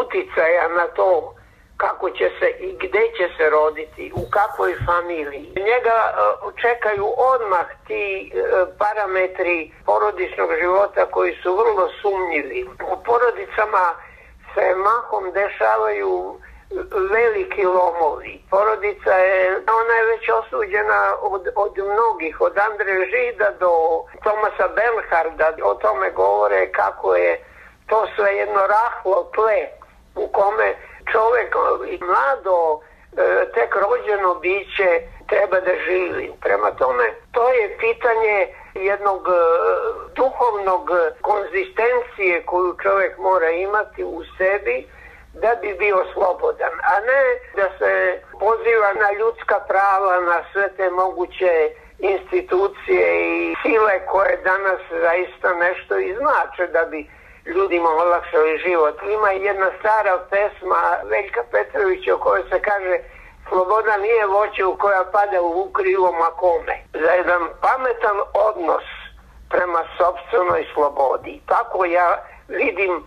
uticaja na to kako će se i gdje će se roditi, u kakvoj familiji. Njega čekaju odmah ti parametri porodičnog života koji su vrlo sumnjivi. U porodicama se mahom dešavaju veliki lomovi. Porodica je, ona je već osuđena od, od mnogih, od Andre Žida do Tomasa Bernharda. O tome govore kako je to sve jedno rahlo tle u kome čovjek i mlado, tek rođeno biće treba da živi. Prema tome, to je pitanje jednog duhovnog konzistencije koju čovjek mora imati u sebi da bi bio slobodan, a ne da se poziva na ljudska prava, na sve te moguće institucije i sile koje danas zaista nešto i znače da bi ljudima olakšali život. Ima jedna stara pesma Veljka Petrovića u kojoj se kaže: sloboda nije voće u koja pada u krilo makome. Za jedan pametan odnos prema sopstvenoj slobodi. Tako ja vidim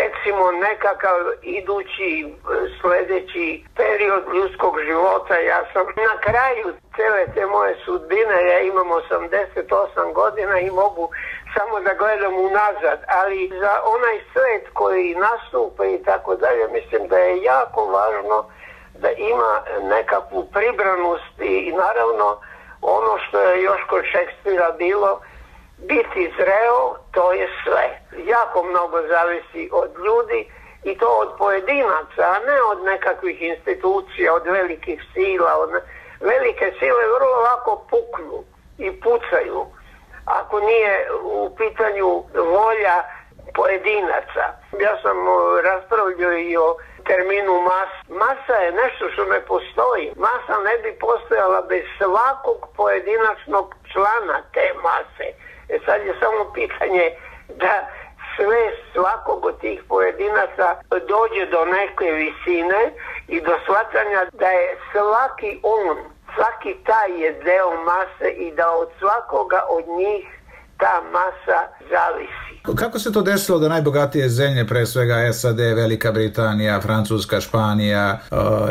recimo nekakav idući sljedeći period ljudskog života. Ja sam na kraju cele te moje sudbine, ja imam osamdeset osam godina i mogu samo da gledam unazad, ali za onaj svet koji nastupa i tako dalje, mislim da je jako važno da ima nekakvu pribranost i naravno ono što je još kod Šekspira bilo, biti zreo, to je sve. Jako mnogo zavisi od ljudi i to od pojedinaca, a ne od nekakvih institucija, od velikih sila. Od ne... Velike sile vrlo lako puknu i pucaju ako nije u pitanju volja pojedinaca. Ja sam raspravljao i o terminu mas. Masa je nešto što ne postoji. Masa ne bi postojala bez svakog pojedinačnog člana te mase. E sad je samo pitanje da sve svakog od tih pojedinaca dođe do neke visine i do shvatanja da je svaki on, svaki taj je deo mase i da od svakoga od njih ta masa zavisi. Kako se to desilo da najbogatije zemlje, pre svega S A D, Velika Britanija, Francuska, Španija,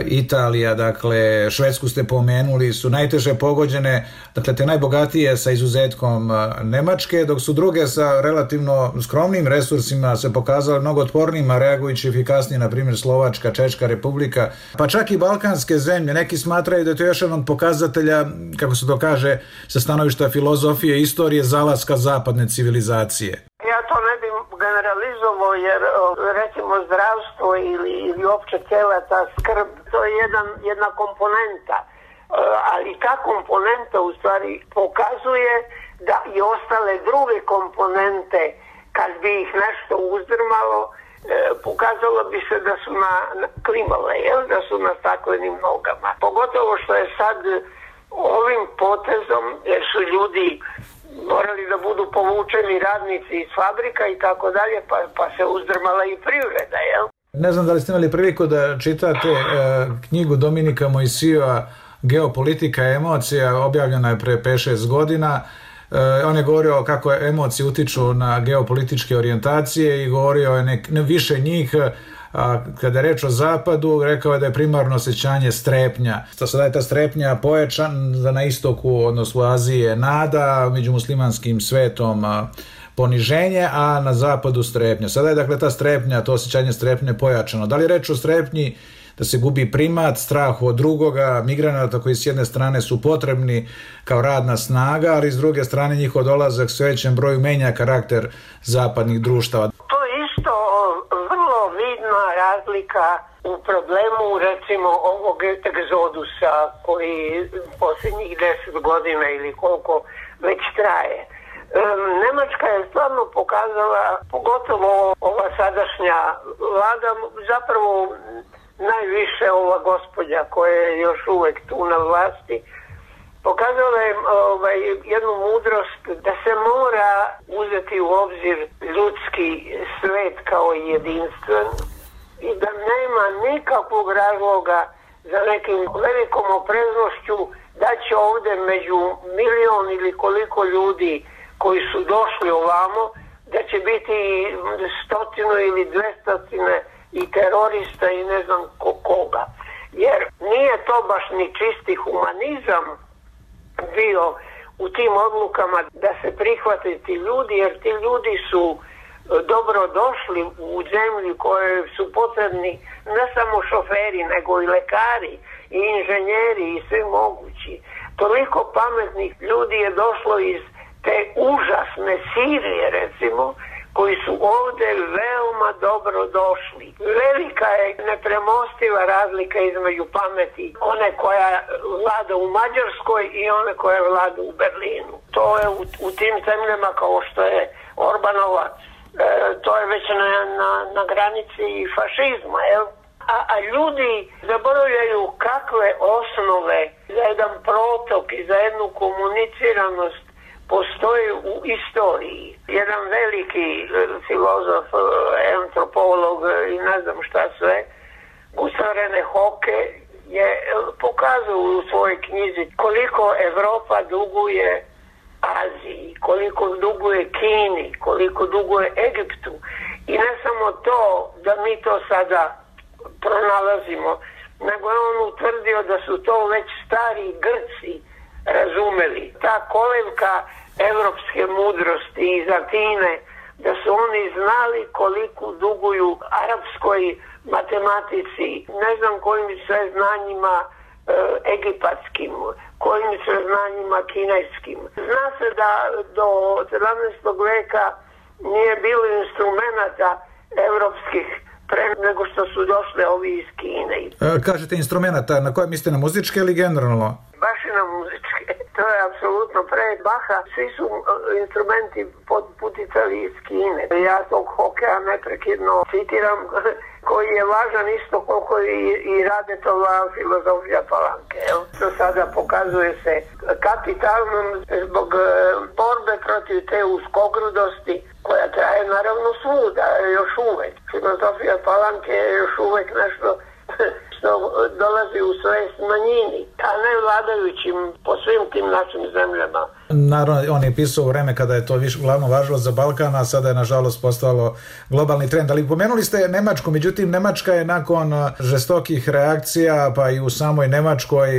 Italija, dakle Švedsku ste pomenuli, su najteže pogođene, dakle te najbogatije sa izuzetkom Nemačke, dok su druge sa relativno skromnim resursima se pokazale mnogo otpornijima, reagujući efikasnije, na primjer Slovačka, Češka Republika, pa čak i balkanske zemlje. Neki smatraju da je to još jedan od pokazatelja, kako se to kaže, sa stanovišta filozofije i istorije, zalaska zapadne civilizacije. Ja to ne bih generalizovao jer recimo zdravstvo ili, ili opće cijela ta skrb, to je jedan, jedna komponenta, ali ta komponenta u stvari pokazuje da i ostale druge komponente, kad bi ih nešto uzdrmalo, pokazalo bi se da su na, na klimale, jel? Da su na staklenim nogama. Pogotovo što je sad ovim potezom, jer su ljudi morali da budu povučeni radnici iz fabrika i tako dalje, pa, pa se uzdrmala i privreda, jel? Ne znam da li ste imali priliku da čitate e, knjigu Dominika Mojsijeva Geopolitika emocija, objavljena je pre pet šest godina. E, on je govorio kako emocije utiču na geopolitičke orijentacije i govorio je nek, ne više njih. A kada je reč o zapadu, rekao je da je primarno osjećanje strepnja. Sada je ta strepnja pojačana na istoku, odnosno u Aziji je nada, među muslimanskim svetom poniženje, a na zapadu strepnja. Sada je dakle ta strepnja, to osjećanje strepnje pojačano. Da li je reč o strepnji da se gubi primat, strahu od drugoga, migranata koji s jedne strane su potrebni kao radna snaga, ali s druge strane njihov dolazak sve većem broju menja karakter zapadnih društava? To je isto vrlo vidna razlika u problemu recimo ovog egzodusa koji posljednjih deset godina ili koliko već traje. Nemačka je stvarno pokazala, pogotovo ova sadašnja vlada, zapravo najviše ova gospođa koja je još uvek tu na vlasti, pokazala je ovaj, jednu mudrost da se mora uzeti u obzir ljudski svet kao jedinstven i da nema nikakvog razloga za nekim velikom opreznošću da će ovde među milion ili koliko ljudi koji su došli ovamo, da će biti stotinu ili dvestotine i terorista i ne znam koga. Jer nije to baš ni čisti humanizam bio u tim odlukama da se prihvate ti ljudi, jer ti ljudi su dobro došli u zemlji koje su potrebni ne samo šoferi, nego i lekari i inženjeri i svi mogući. Toliko pametnih ljudi je došlo iz te užasne Sirije, recimo, koji su ovde veoma dobro došli. Velika je nepremostiva razlika između pameti one koja vlada u Mađarskoj i one koja vlada u Berlinu. To je u, u tim zemljama kao što je Orbanova, e, to je već na, na, na granici fašizma, jel? A, a ljudi zaboravljaju kakve osnove za jedan protok i za jednu komuniciranost postoji u istoriji. Jedan veliki filozof, antropolog i ne znam šta sve, Gustav René Hocke, je pokazao u svojoj knjizi koliko Evropa duguje Aziji, koliko duguje Kini, koliko duguje Egiptu. I ne samo to da mi to sada pronalazimo, nego je on utvrdio da su to već stari Grci razumeli. Ta kolevka evropske mudrosti iz Atine, da su oni znali koliko duguju arapskoj matematici, ne znam kojim sve znanjima e, egipatskim, kojim sve znanjima kineskim. Zna se da do sedamnaestog veka nije bilo instrumenta evropskih pre nego što su došle ovi iz Kine. E, kažete instrumenta, na koje mislite, na muzičke ili generalno? Baš i na muzičke. To je apsolutno pre Baha. Svi su instrumenti puticali iz Kine. Ja tog Hockea neprekidno citiram, koji je važan isto koliko i, i Radetova filozofija Palanke. To sada pokazuje se kapitalnom zbog borbe protiv te uskogrudosti koja traje naravno svuda, još uvek. Filozofija Palanke je još uvek nešto što dolazi u svest manjini, a ne vladajućim po svim tim našim zemljama. Naravno, on je pisao u vreme kada je to više glavno važilo za Balkan, a sada je nažalost postalo globalni trend. Ali pomenuli ste Nemačku, međutim Nemačka je nakon žestokih reakcija, pa i u samoj Nemačkoj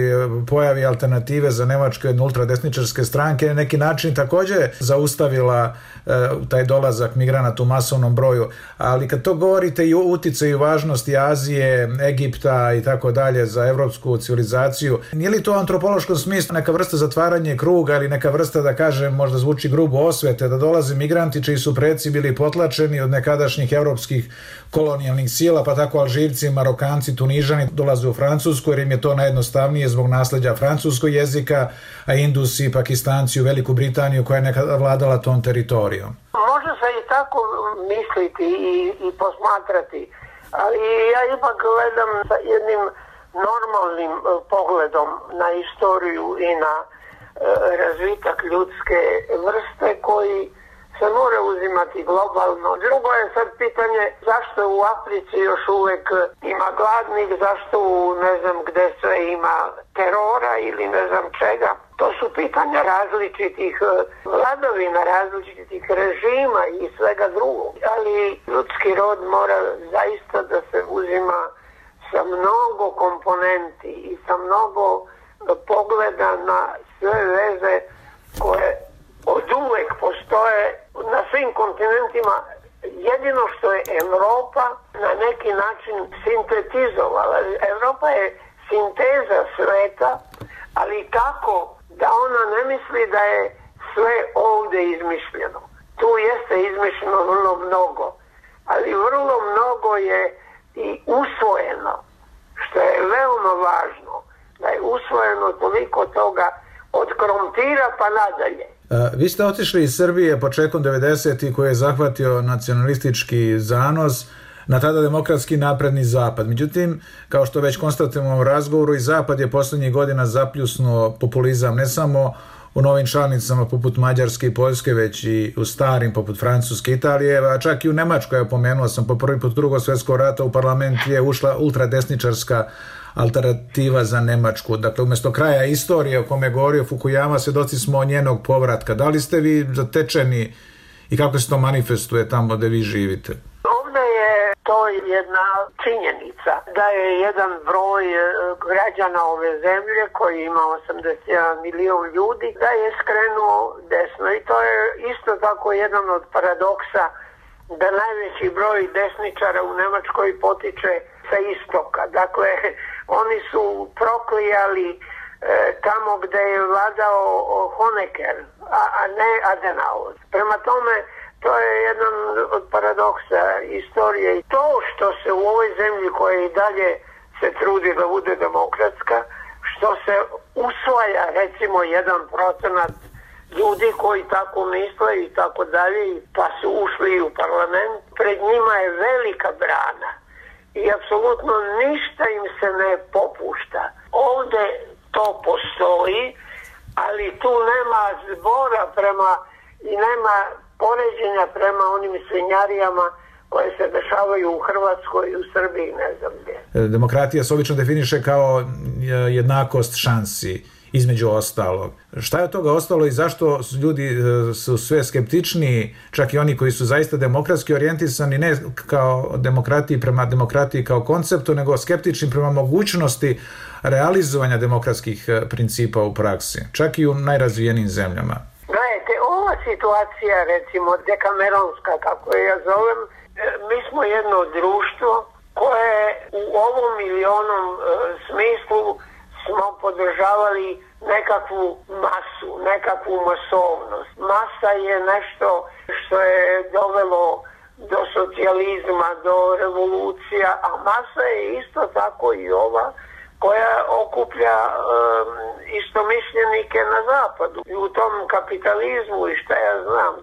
pojavi alternative za Nemačke od ultradesničarske stranke, na neki način također zaustavila e, taj dolazak migranata u masovnom broju. Ali kad to govorite i o uticaju i važnosti Azije, Egipta i tako dalje za evropsku civilizaciju, nije li to u antropološkom smislu neka vrsta zatvaranje kruga ili neka vrsta, da kažem, možda zvuči grubo, osvete, da dolaze migranti čiji su preci bili potlačeni od nekadašnjih evropskih kolonijalnih sila, pa tako Alžirci, Marokanci, Tunižani dolaze u Francusku jer im je to najjednostavnije zbog nasleđa francuskog jezika, a Indusi, Pakistanci u Veliku Britaniju koja je nekada vladala tom teritorijom. Može se i tako misliti i, i posmatrati, ali ja ipak gledam sa jednim normalnim pogledom na istoriju i na razvitak ljudske vrste koji se mora uzimati globalno. Drugo je sad pitanje zašto u Africi još uvek ima gladnih, zašto u ne znam gde sve ima terora ili ne znam čega. To su pitanja različitih vladavina, različitih režima i svega drugog. Ali ljudski rod mora zaista da se uzima sa mnogo komponenti i sa mnogo pogleda na sve veze koje od uvek postoje na svim kontinentima. Jedino što je Evropa na neki način sintetizovala. Evropa je sinteza sveta, ali tako da ona ne misli da je sve ovde izmišljeno. Tu jeste izmišljeno vrlo mnogo, ali vrlo mnogo je i usvojeno, što je veoma važno, da je usvojeno toliko toga od krompira pa nadalje. Vi ste otišli iz Srbije početkom devedesetih koji je zahvatio nacionalistički zanos na tada demokratski napredni zapad. Međutim, kao što već konstatujemo u razgovoru, i zapad je poslednjih godina zapljusnuo populizam ne samo u novim članicama poput Mađarske i Poljske, već i u starim poput Francuske, Italije, a čak i u Nemačkoj, ja pomenuo sam, po prvi put drugog svjetskog rata u parlament je ušla ultradesničarska alternativa za Nemačku. Dakle, umjesto kraja istorije o kome je govorio Fukuyama, svjedoci smo njenog povratka. Da li ste vi zatečeni i kako se to manifestuje tamo gde vi živite? Ovdje je to jedna činjenica da je jedan broj građana ove zemlje koji ima osamdeset jedan milion ljudi da je skrenuo desno i to je isto tako jedan od paradoksa da najveći broj desničara u Nemačkoj potiče sa istoka. Dakle, oni su proklijali e, tamo gde je vladao Honecker, a, a ne Adenauer. Prema tome, To je jedan od paradoksa istorije. I to što se u ovoj zemlji koja i dalje se trudi da bude demokratska, što se usvaja recimo jedan procenat ljudi koji tako misle i tako dalje, pa su ušli u parlament, pred njima je velika brana i apsolutno ništa im se ne popušta. Ovde to postoji, ali tu nema zbora prema i nema poređenja prema onim svinjarijama koje se dešavaju u Hrvatskoj i u Srbiji, ne znam gdje. Demokratija se obično definiše kao jednakost šansi, između ostalog. Šta je od toga ostalo i zašto ljudi su sve skeptičniji, čak i oni koji su zaista demokratski orijentisani, ne kao demokratiji prema demokratiji kao konceptu, nego skeptični prema mogućnosti realizovanja demokratskih principa u praksi, čak i u najrazvijenijim zemljama? Gledajte, ova situacija, recimo dekameronska, kako je ja zovem, mi smo jedno društvo koje u ovom ili onom e, smislu smo podržavali nekakvu masu, nekakvu masovnost. Masa je nešto što je dovelo do socijalizma, do revolucija, a masa je isto tako i ova koja okuplja um, istomišljenike na zapadu. I u tom kapitalizmu i šta ja znam,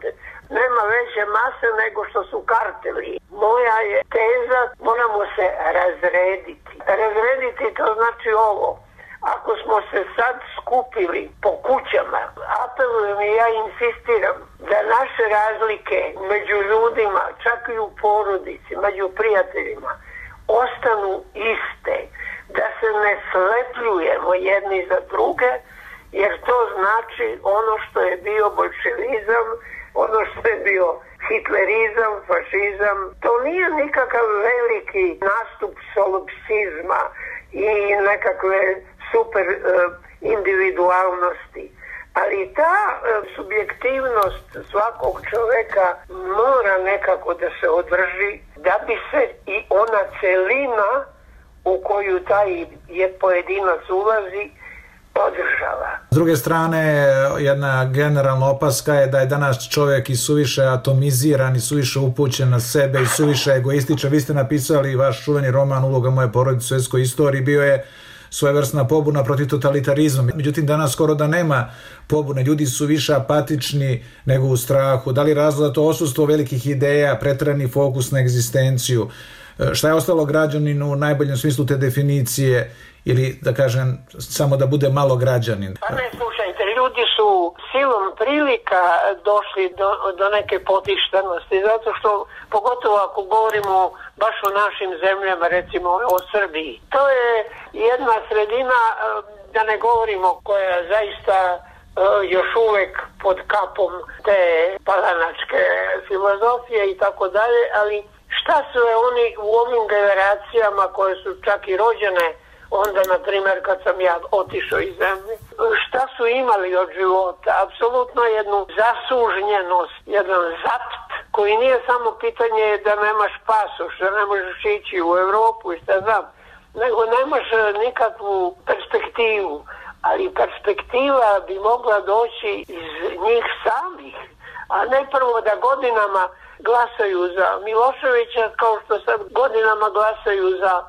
nema veće mase nego što su karteli. Moja je teza, moramo se razrediti. Razrediti to znači ovo. Ako smo se sad skupili po kućama, apelujem i ja insistiram da naše razlike među ljudima, čak i u porodici, među prijateljima, ostanu iste. Da se ne slepljujemo jedni za druge, jer to znači ono što je bio bolševizam, ono što je bio hitlerizam, fašizam. To nije nikakav veliki nastup solipsizma i nekakve super uh, individualnosti. Ali ta uh, subjektivnost svakog čoveka mora nekako da se održi, da bi se i ona celina u koju taj je pojedinac ulazi održava. S druge strane, jedna generalna opaska je da je danas čovjek i suviše atomiziran i suviše upućen na sebe i suviše egoističan. Vi ste napisali vaš čuveni roman Uloga moje porodice u svjetskoj istoriji, bio je svojevrsna pobuna protiv totalitarizma. Međutim, danas skoro da nema pobune. Ljudi su više apatični nego u strahu. Da li razlog to odsustvo velikih ideja, preterani fokus na egzistenciju? Šta je ostalo građaninu u najboljem smislu te definicije ili, da kažem, samo da bude malo građanin? Pa ne, slušajte, ljudi su silom prilika došli do, do neke potištenosti, zato što, pogotovo ako govorimo baš o našim zemljama, recimo o Srbiji, to je jedna sredina, da ne govorimo, koja zaista još uvek pod kapom te palanačke filozofije i tako dalje, ali šta su oni u ovim generacijama koje su čak i rođene onda, na primjer, kad sam ja otišao iz zemlje, šta su imali od života? Apsolutno jednu zasužnjenost, jedan zapt koji nije samo pitanje da nemaš pasoš, da ne možeš ići u Evropu i šta znam, nego nemaš nikakvu perspektivu, ali perspektiva bi mogla doći iz njih samih, a ne prvo da godinama glasaju za Miloševića kao što sad godinama glasaju za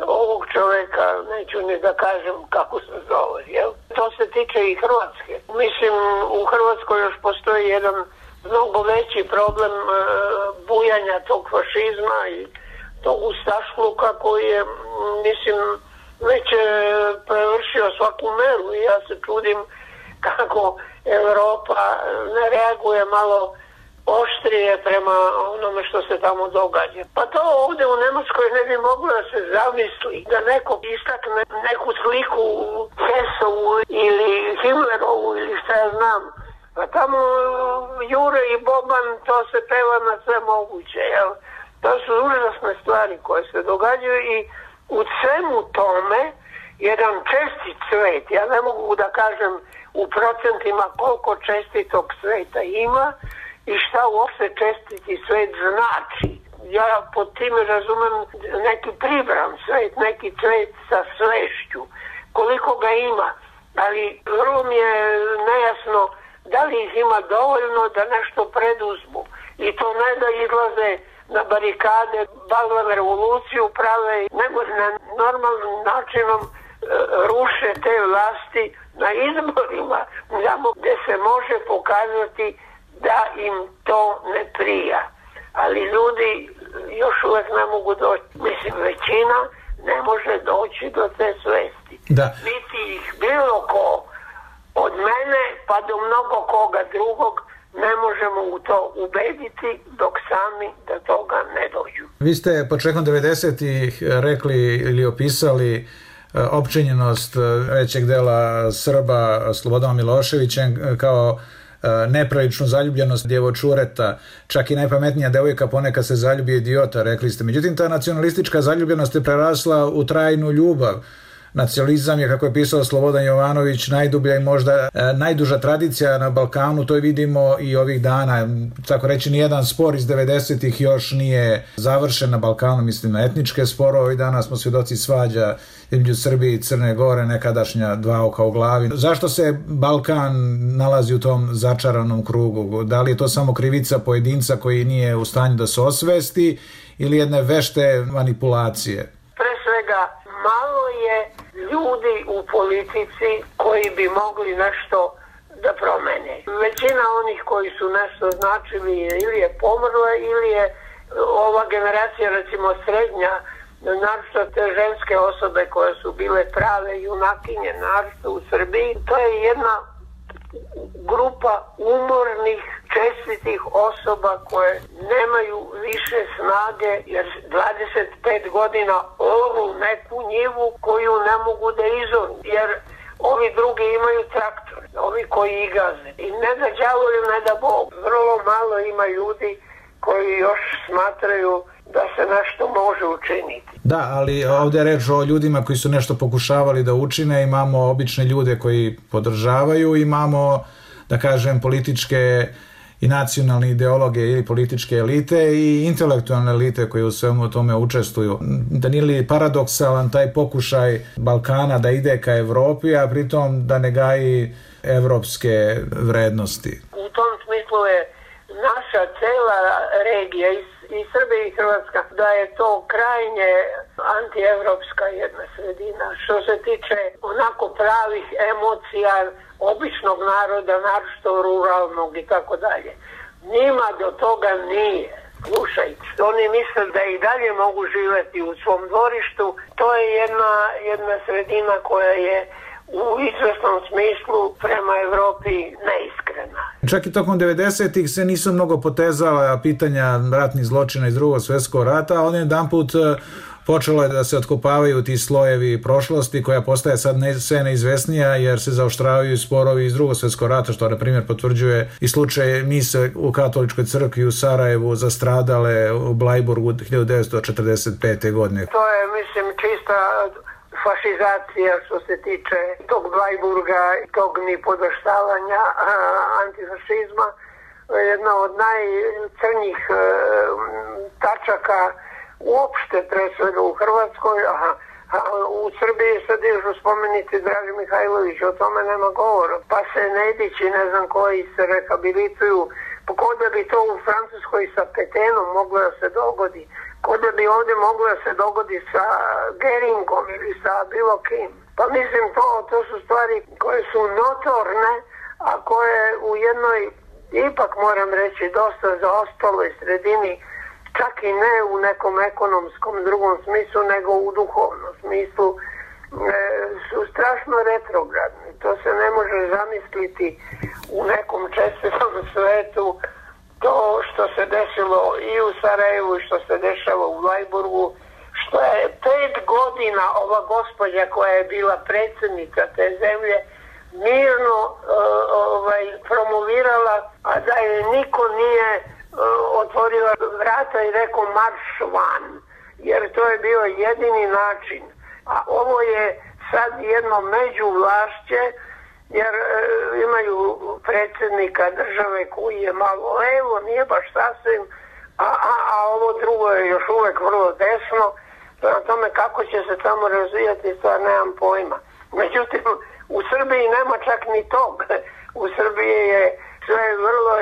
ovog čoveka, neću ni da kažem kako se zove, jel? To se tiče i Hrvatske. Mislim, u Hrvatskoj još postoji jedan mnogo veći problem e, bujanja tog fašizma i tog ustašluka koji je, mislim, već e, prevršio svaku meru i ja se čudim kako Evropa ne reaguje malo oštrije prema onome što se tamo događa. Pa to ovdje u Nemačkoj ne bi moglo da se zamisli, da neko istakne neku sliku Hesovu ili Himmlerovu ili šta ja znam. A tamo Jure i Boban, to se peva na sve moguće, jel? To su užasne stvari koje se događaju i u svemu tome jedan čestit svet, ja ne mogu da kažem u procentima koliko čestitog sveta ima, i šta uopšte čestiti svet znači. Ja pod time razumem neki pribran svet, neki svet sa svešću, koliko ga ima, ali vrlo mi je nejasno da li ih ima dovoljno da nešto preduzmu. I to ne da izlaze na barikade, balvan revoluciju prave, nego na normalnim načinom e, ruše te vlasti na izborima, tamo gde se može pokazati da im to ne prija. Ali ljudi još uvek ne mogu doći. Mislim, većina ne može doći do te svesti. Da. Biti ih bilo ko, od mene pa do mnogo koga drugog, ne možemo u to ubediti dok sami do toga ne dođu. Vi ste početkom devedesetih rekli ili opisali opčinjenost većeg dela Srba Slobodanom Miloševićem kao nepravičnu zaljubljenost djevočureta, čak i najpametnija devojka ponekad se zaljubi idiota, rekli ste. Međutim, ta nacionalistička zaljubljenost je prerasla u trajnu ljubav. Nacionalizam je, kako je pisao Slobodan Jovanović, najdublja i možda e, najduža tradicija na Balkanu, to vidimo i ovih dana. Tako reći, nijedan spor iz devedesetih još nije završen na Balkanu, mislim na etničke sporove. Ovih dana smo svjedoci svađa između Srbije i Crne Gore, nekadašnja dva oka u glavi. Zašto se Balkan nalazi u tom začaranom krugu? Da li je to samo krivica pojedinca koji nije u stanju da se osvesti ili jedne vešte manipulacije? Pre svega, malo je ljudi u politici koji bi mogli nešto da promene. Većina onih koji su nešto značili ili je pomrla ili je ova generacija, recimo srednja, naročito te ženske osobe koje su bile prave junakinje, naročito u Srbiji, to je jedna grupa umornih, čestitih osoba koje nemaju više snage jer dvadeset pet godina oru neku njivu koju ne mogu da izoru, jer ovi drugi imaju traktor, ovi koji ih gaze. I ne da đavolim, ne da Bog. Vrlo malo ima ljudi koji još smatraju da se nešto može učiniti. Da, ali ovdje je reč o ljudima koji su nešto pokušavali da učine, imamo obične ljude koji podržavaju, imamo, da kažem, političke i nacionalne ideologe ili političke elite i intelektualne elite koje u svemu tome učestvuju. Da nije li paradoksalan taj pokušaj Balkana da ide ka Evropi, a pritom da ne gaji evropske vrednosti? U tom smislu je naša cela regija i, i Srbija i Hrvatska da je to krajnje antievropska jedna sredina. Što se tiče onako pravih emocija običnog naroda, naročito ruralnog i tako dalje. Njima do toga nije. Slušajte, oni misle da i dalje mogu živjeti u svom dvorištu. To je jedna, jedna sredina koja je u izvesnom smislu prema Evropi neiskrena. Čak i tokom devedesetih se nisu mnogo potezala pitanja ratnih zločina iz drugog svjetskog rata, a on je jedan put počelo je da se otkopavaju ti slojevi prošlosti koja postaje sad ne, sve neizvesnija jer se zaoštravaju sporovi iz drugog svjetskog rata, što na primjer potvrđuje i slučaj mise u katoličkoj crkvi u Sarajevu zastradale u Blajburgu hiljadu devetsto četrdeset pete. godine. To je, mislim, čista fašizacija što se tiče tog Blajburga i tog nipodaštavanja antifašizma. Jedna od najcrnjih e, tačaka uopšte pre svega u Hrvatskoj, a, a u Srbiji sad dižu spomeniti Dragi Mihajlović, o tome nema govora. Pa se Nedići, ne znam koji se rehabilituju, ko da bi to u Francuskoj sa Petenom moglo da se dogodi, ko da bi ovdje moglo da se dogodi sa Geringom ili sa bilo kim. Pa mislim, to, to su stvari koje su notorne, a koje u jednoj, ipak moram reći, dosta zaostaloj sredini, čak i ne u nekom ekonomskom drugom smislu, nego u duhovnom smislu, e, su strašno retrogradni. To se ne može zamisliti u nekom čestitom svetu, to što se desilo i u Sarajevu i što se dešava u Blajburgu, što je pet godina ova gospođa koja je bila predsjednica te zemlje mirno uh, ovaj, promovirala, a da je niko nije uh, otvorio vrata i rekao marš van, jer to je bio jedini način. A ovo je sad jedno međuvlašće, jer e, imaju predsjednika države koji je malo levo, nije baš sasvim, a, a, a ovo drugo je još uvek vrlo desno. Prema tome kako će se tamo razvijati, stvar nemam pojma. Međutim, u Srbiji nema čak ni tog. U Srbiji je sve je vrlo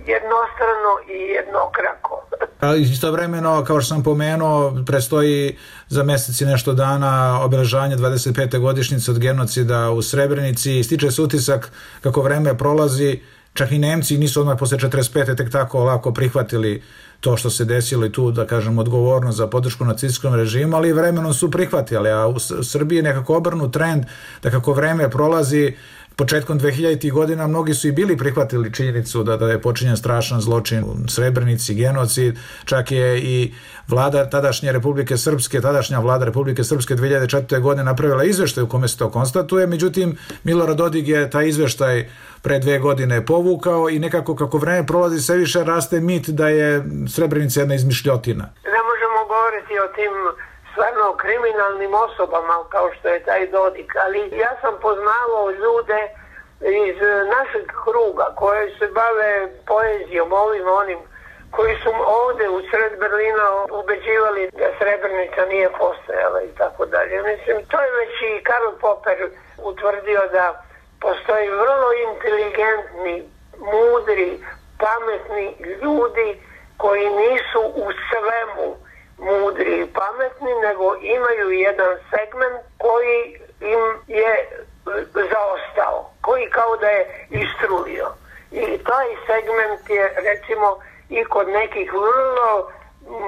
jednostrano i jednokrako. Ali istovremeno, kao što sam pomenuo, prestoji za mesec i nešto dana obeležavanje dvadeset pete godišnjice od genocida u Srebrenici i stiče se utisak kako vreme prolazi, čak i Nemci nisu odmah posle četrdeset pete tek tako lako prihvatili to što se desilo i tu, da kažem, odgovornost za podršku nacistskom režimu, ali vremenom su prihvatili, a u Srbiji je nekako obrnut trend da kako vreme prolazi, početkom dvehiljaditih godina mnogi su i bili prihvatili činjenicu da, da je počinjen strašan zločin u Srebrenici, genocid, čak je i vlada tadašnje Republike Srpske, tadašnja vlada Republike Srpske dve hiljade četvrte. godine napravila izveštaj u kome se to konstatuje, međutim Milorad Dodik je taj izveštaj pre dve godine povukao i nekako kako vreme prolazi sve više raste mit da je Srebrenica jedna izmišljotina. Ne možemo govoriti o tim stvarno kriminalnim osobama kao što je taj Dodik, ali ja sam poznavao ljude iz našeg kruga koji se bave poezijom, ovim onim, koji su ovde u sred Berlina ubeđivali da Srebrenica nije postojala i tako dalje. Mislim, to je već i Karl Popper utvrdio da postoji vrlo inteligentni, mudri, pametni ljudi koji nisu u svemu mudri i pametni, nego imaju jedan segment koji im je zaostao, koji kao da je istrulio. I taj segment je, recimo, i kod nekih vrlo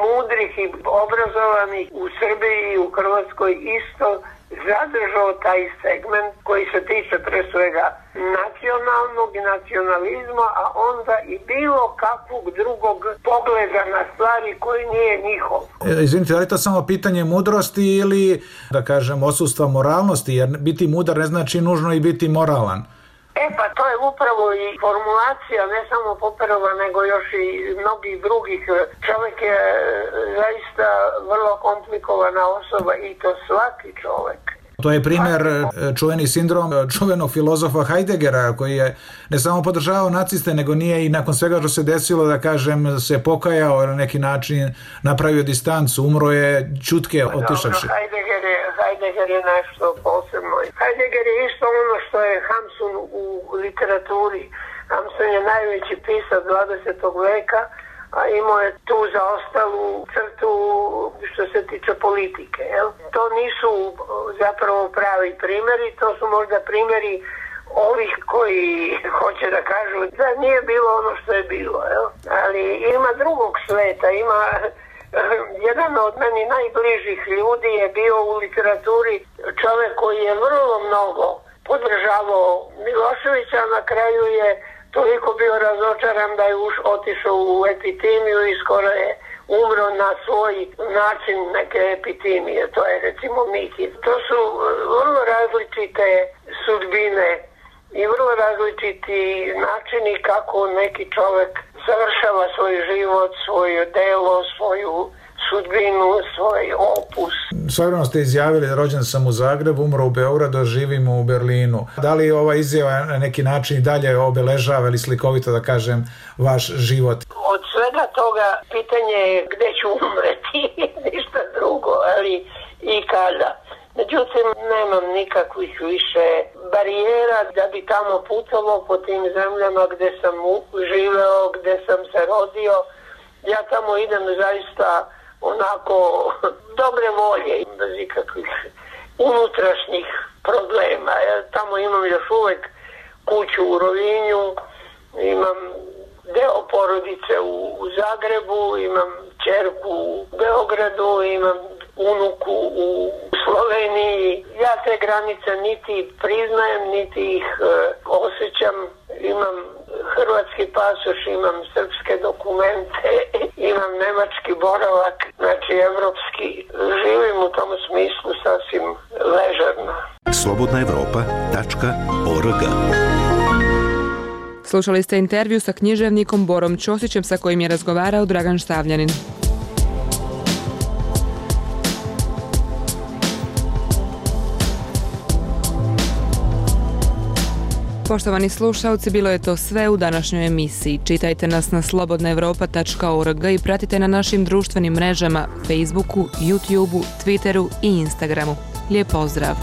mudrih i obrazovanih u Srbiji i u Hrvatskoj isto zadržao taj segment koji se tiče pre svega nacionalnog i nacionalizma, a onda i bilo kakvog drugog pogleda na stvari koji nije njihov. E, izvinite, ali to samo pitanje mudrosti ili, da kažem, odsustva moralnosti, jer biti mudar ne znači nužno i biti moralan? E pa to je upravo i formulacija, ne samo Popperova, nego još i mnogih drugih. Čovjek je zaista vrlo komplikovana osoba i to svaki čovjek. To je primjer čuveni sindrom čuvenog filozofa Heideggera koji je ne samo podržavao naciste, nego nije i nakon svega što se desilo, da kažem, se pokajao na neki način, napravio distancu, umro je čutke otišavši. No, Heidegger je, Heidegger je nešto posebno. Heidegger je isto ono što je Hamsun u literaturi. Hamsun je najveći pisac dvadesetog veka, a imao je tu zaostalu crtu što se tiče politike. Jel? To nisu zapravo pravi primjeri, to su možda primjeri ovih koji hoće da kažu da nije bilo ono što je bilo. Jel? Ali ima drugog sveta, ima jedan od meni najbližih ljudi je bio u literaturi čovjek koji je vrlo mnogo podržavao Miloševića, na kraju je toliko bio razočaran da je už otišao u epitimiju i skoro je umro na svoj način neke epitimije, to je recimo Miki. To su vrlo različite sudbine i vrlo različiti načini kako neki čovjek završava svoj život, svoje delo, svoju sudbinu, svoj opus. Svojevremeno ste izjavili da rođen sam u Zagrebu, umro u Beogradu, živim u Berlinu. Da li ova izjava na neki način i dalje obeležava ili slikovito, da kažem, vaš život? Od svega toga pitanje je gde ću umreti, ništa drugo, ali i kada. Međutim, nemam nikakvih više barijera da bi tamo putovao po tim zemljama gde sam živeo, gde sam se rodio. Ja tamo idem zaista onako dobre volje, bez ikakvih unutrašnjih problema. Ja tamo imam još uvek kuću u Rovinju, imam deo porodice u, u Zagrebu, imam ćerku u Beogradu, imam unuku u Sloveniji. Ja te granice niti priznajem, niti ih e, osjećam. Imam hrvatski pasoš, imam srpske dokumente, imam nemački boravak, znači evropski. Živim u tom smislu sasvim ležerno. slobodna evropa tačka org. Slušali ste intervju sa književnikom Borom Ćosićem sa kojim je razgovarao Dragan Štavljanin. Poštovani slušalci, bilo je to sve u današnjoj emisiji. Čitajte nas na slobodna evropa tačka org i pratite na našim društvenim mrežama Facebooku, YouTubeu, Twitteru i Instagramu. Lijep pozdrav!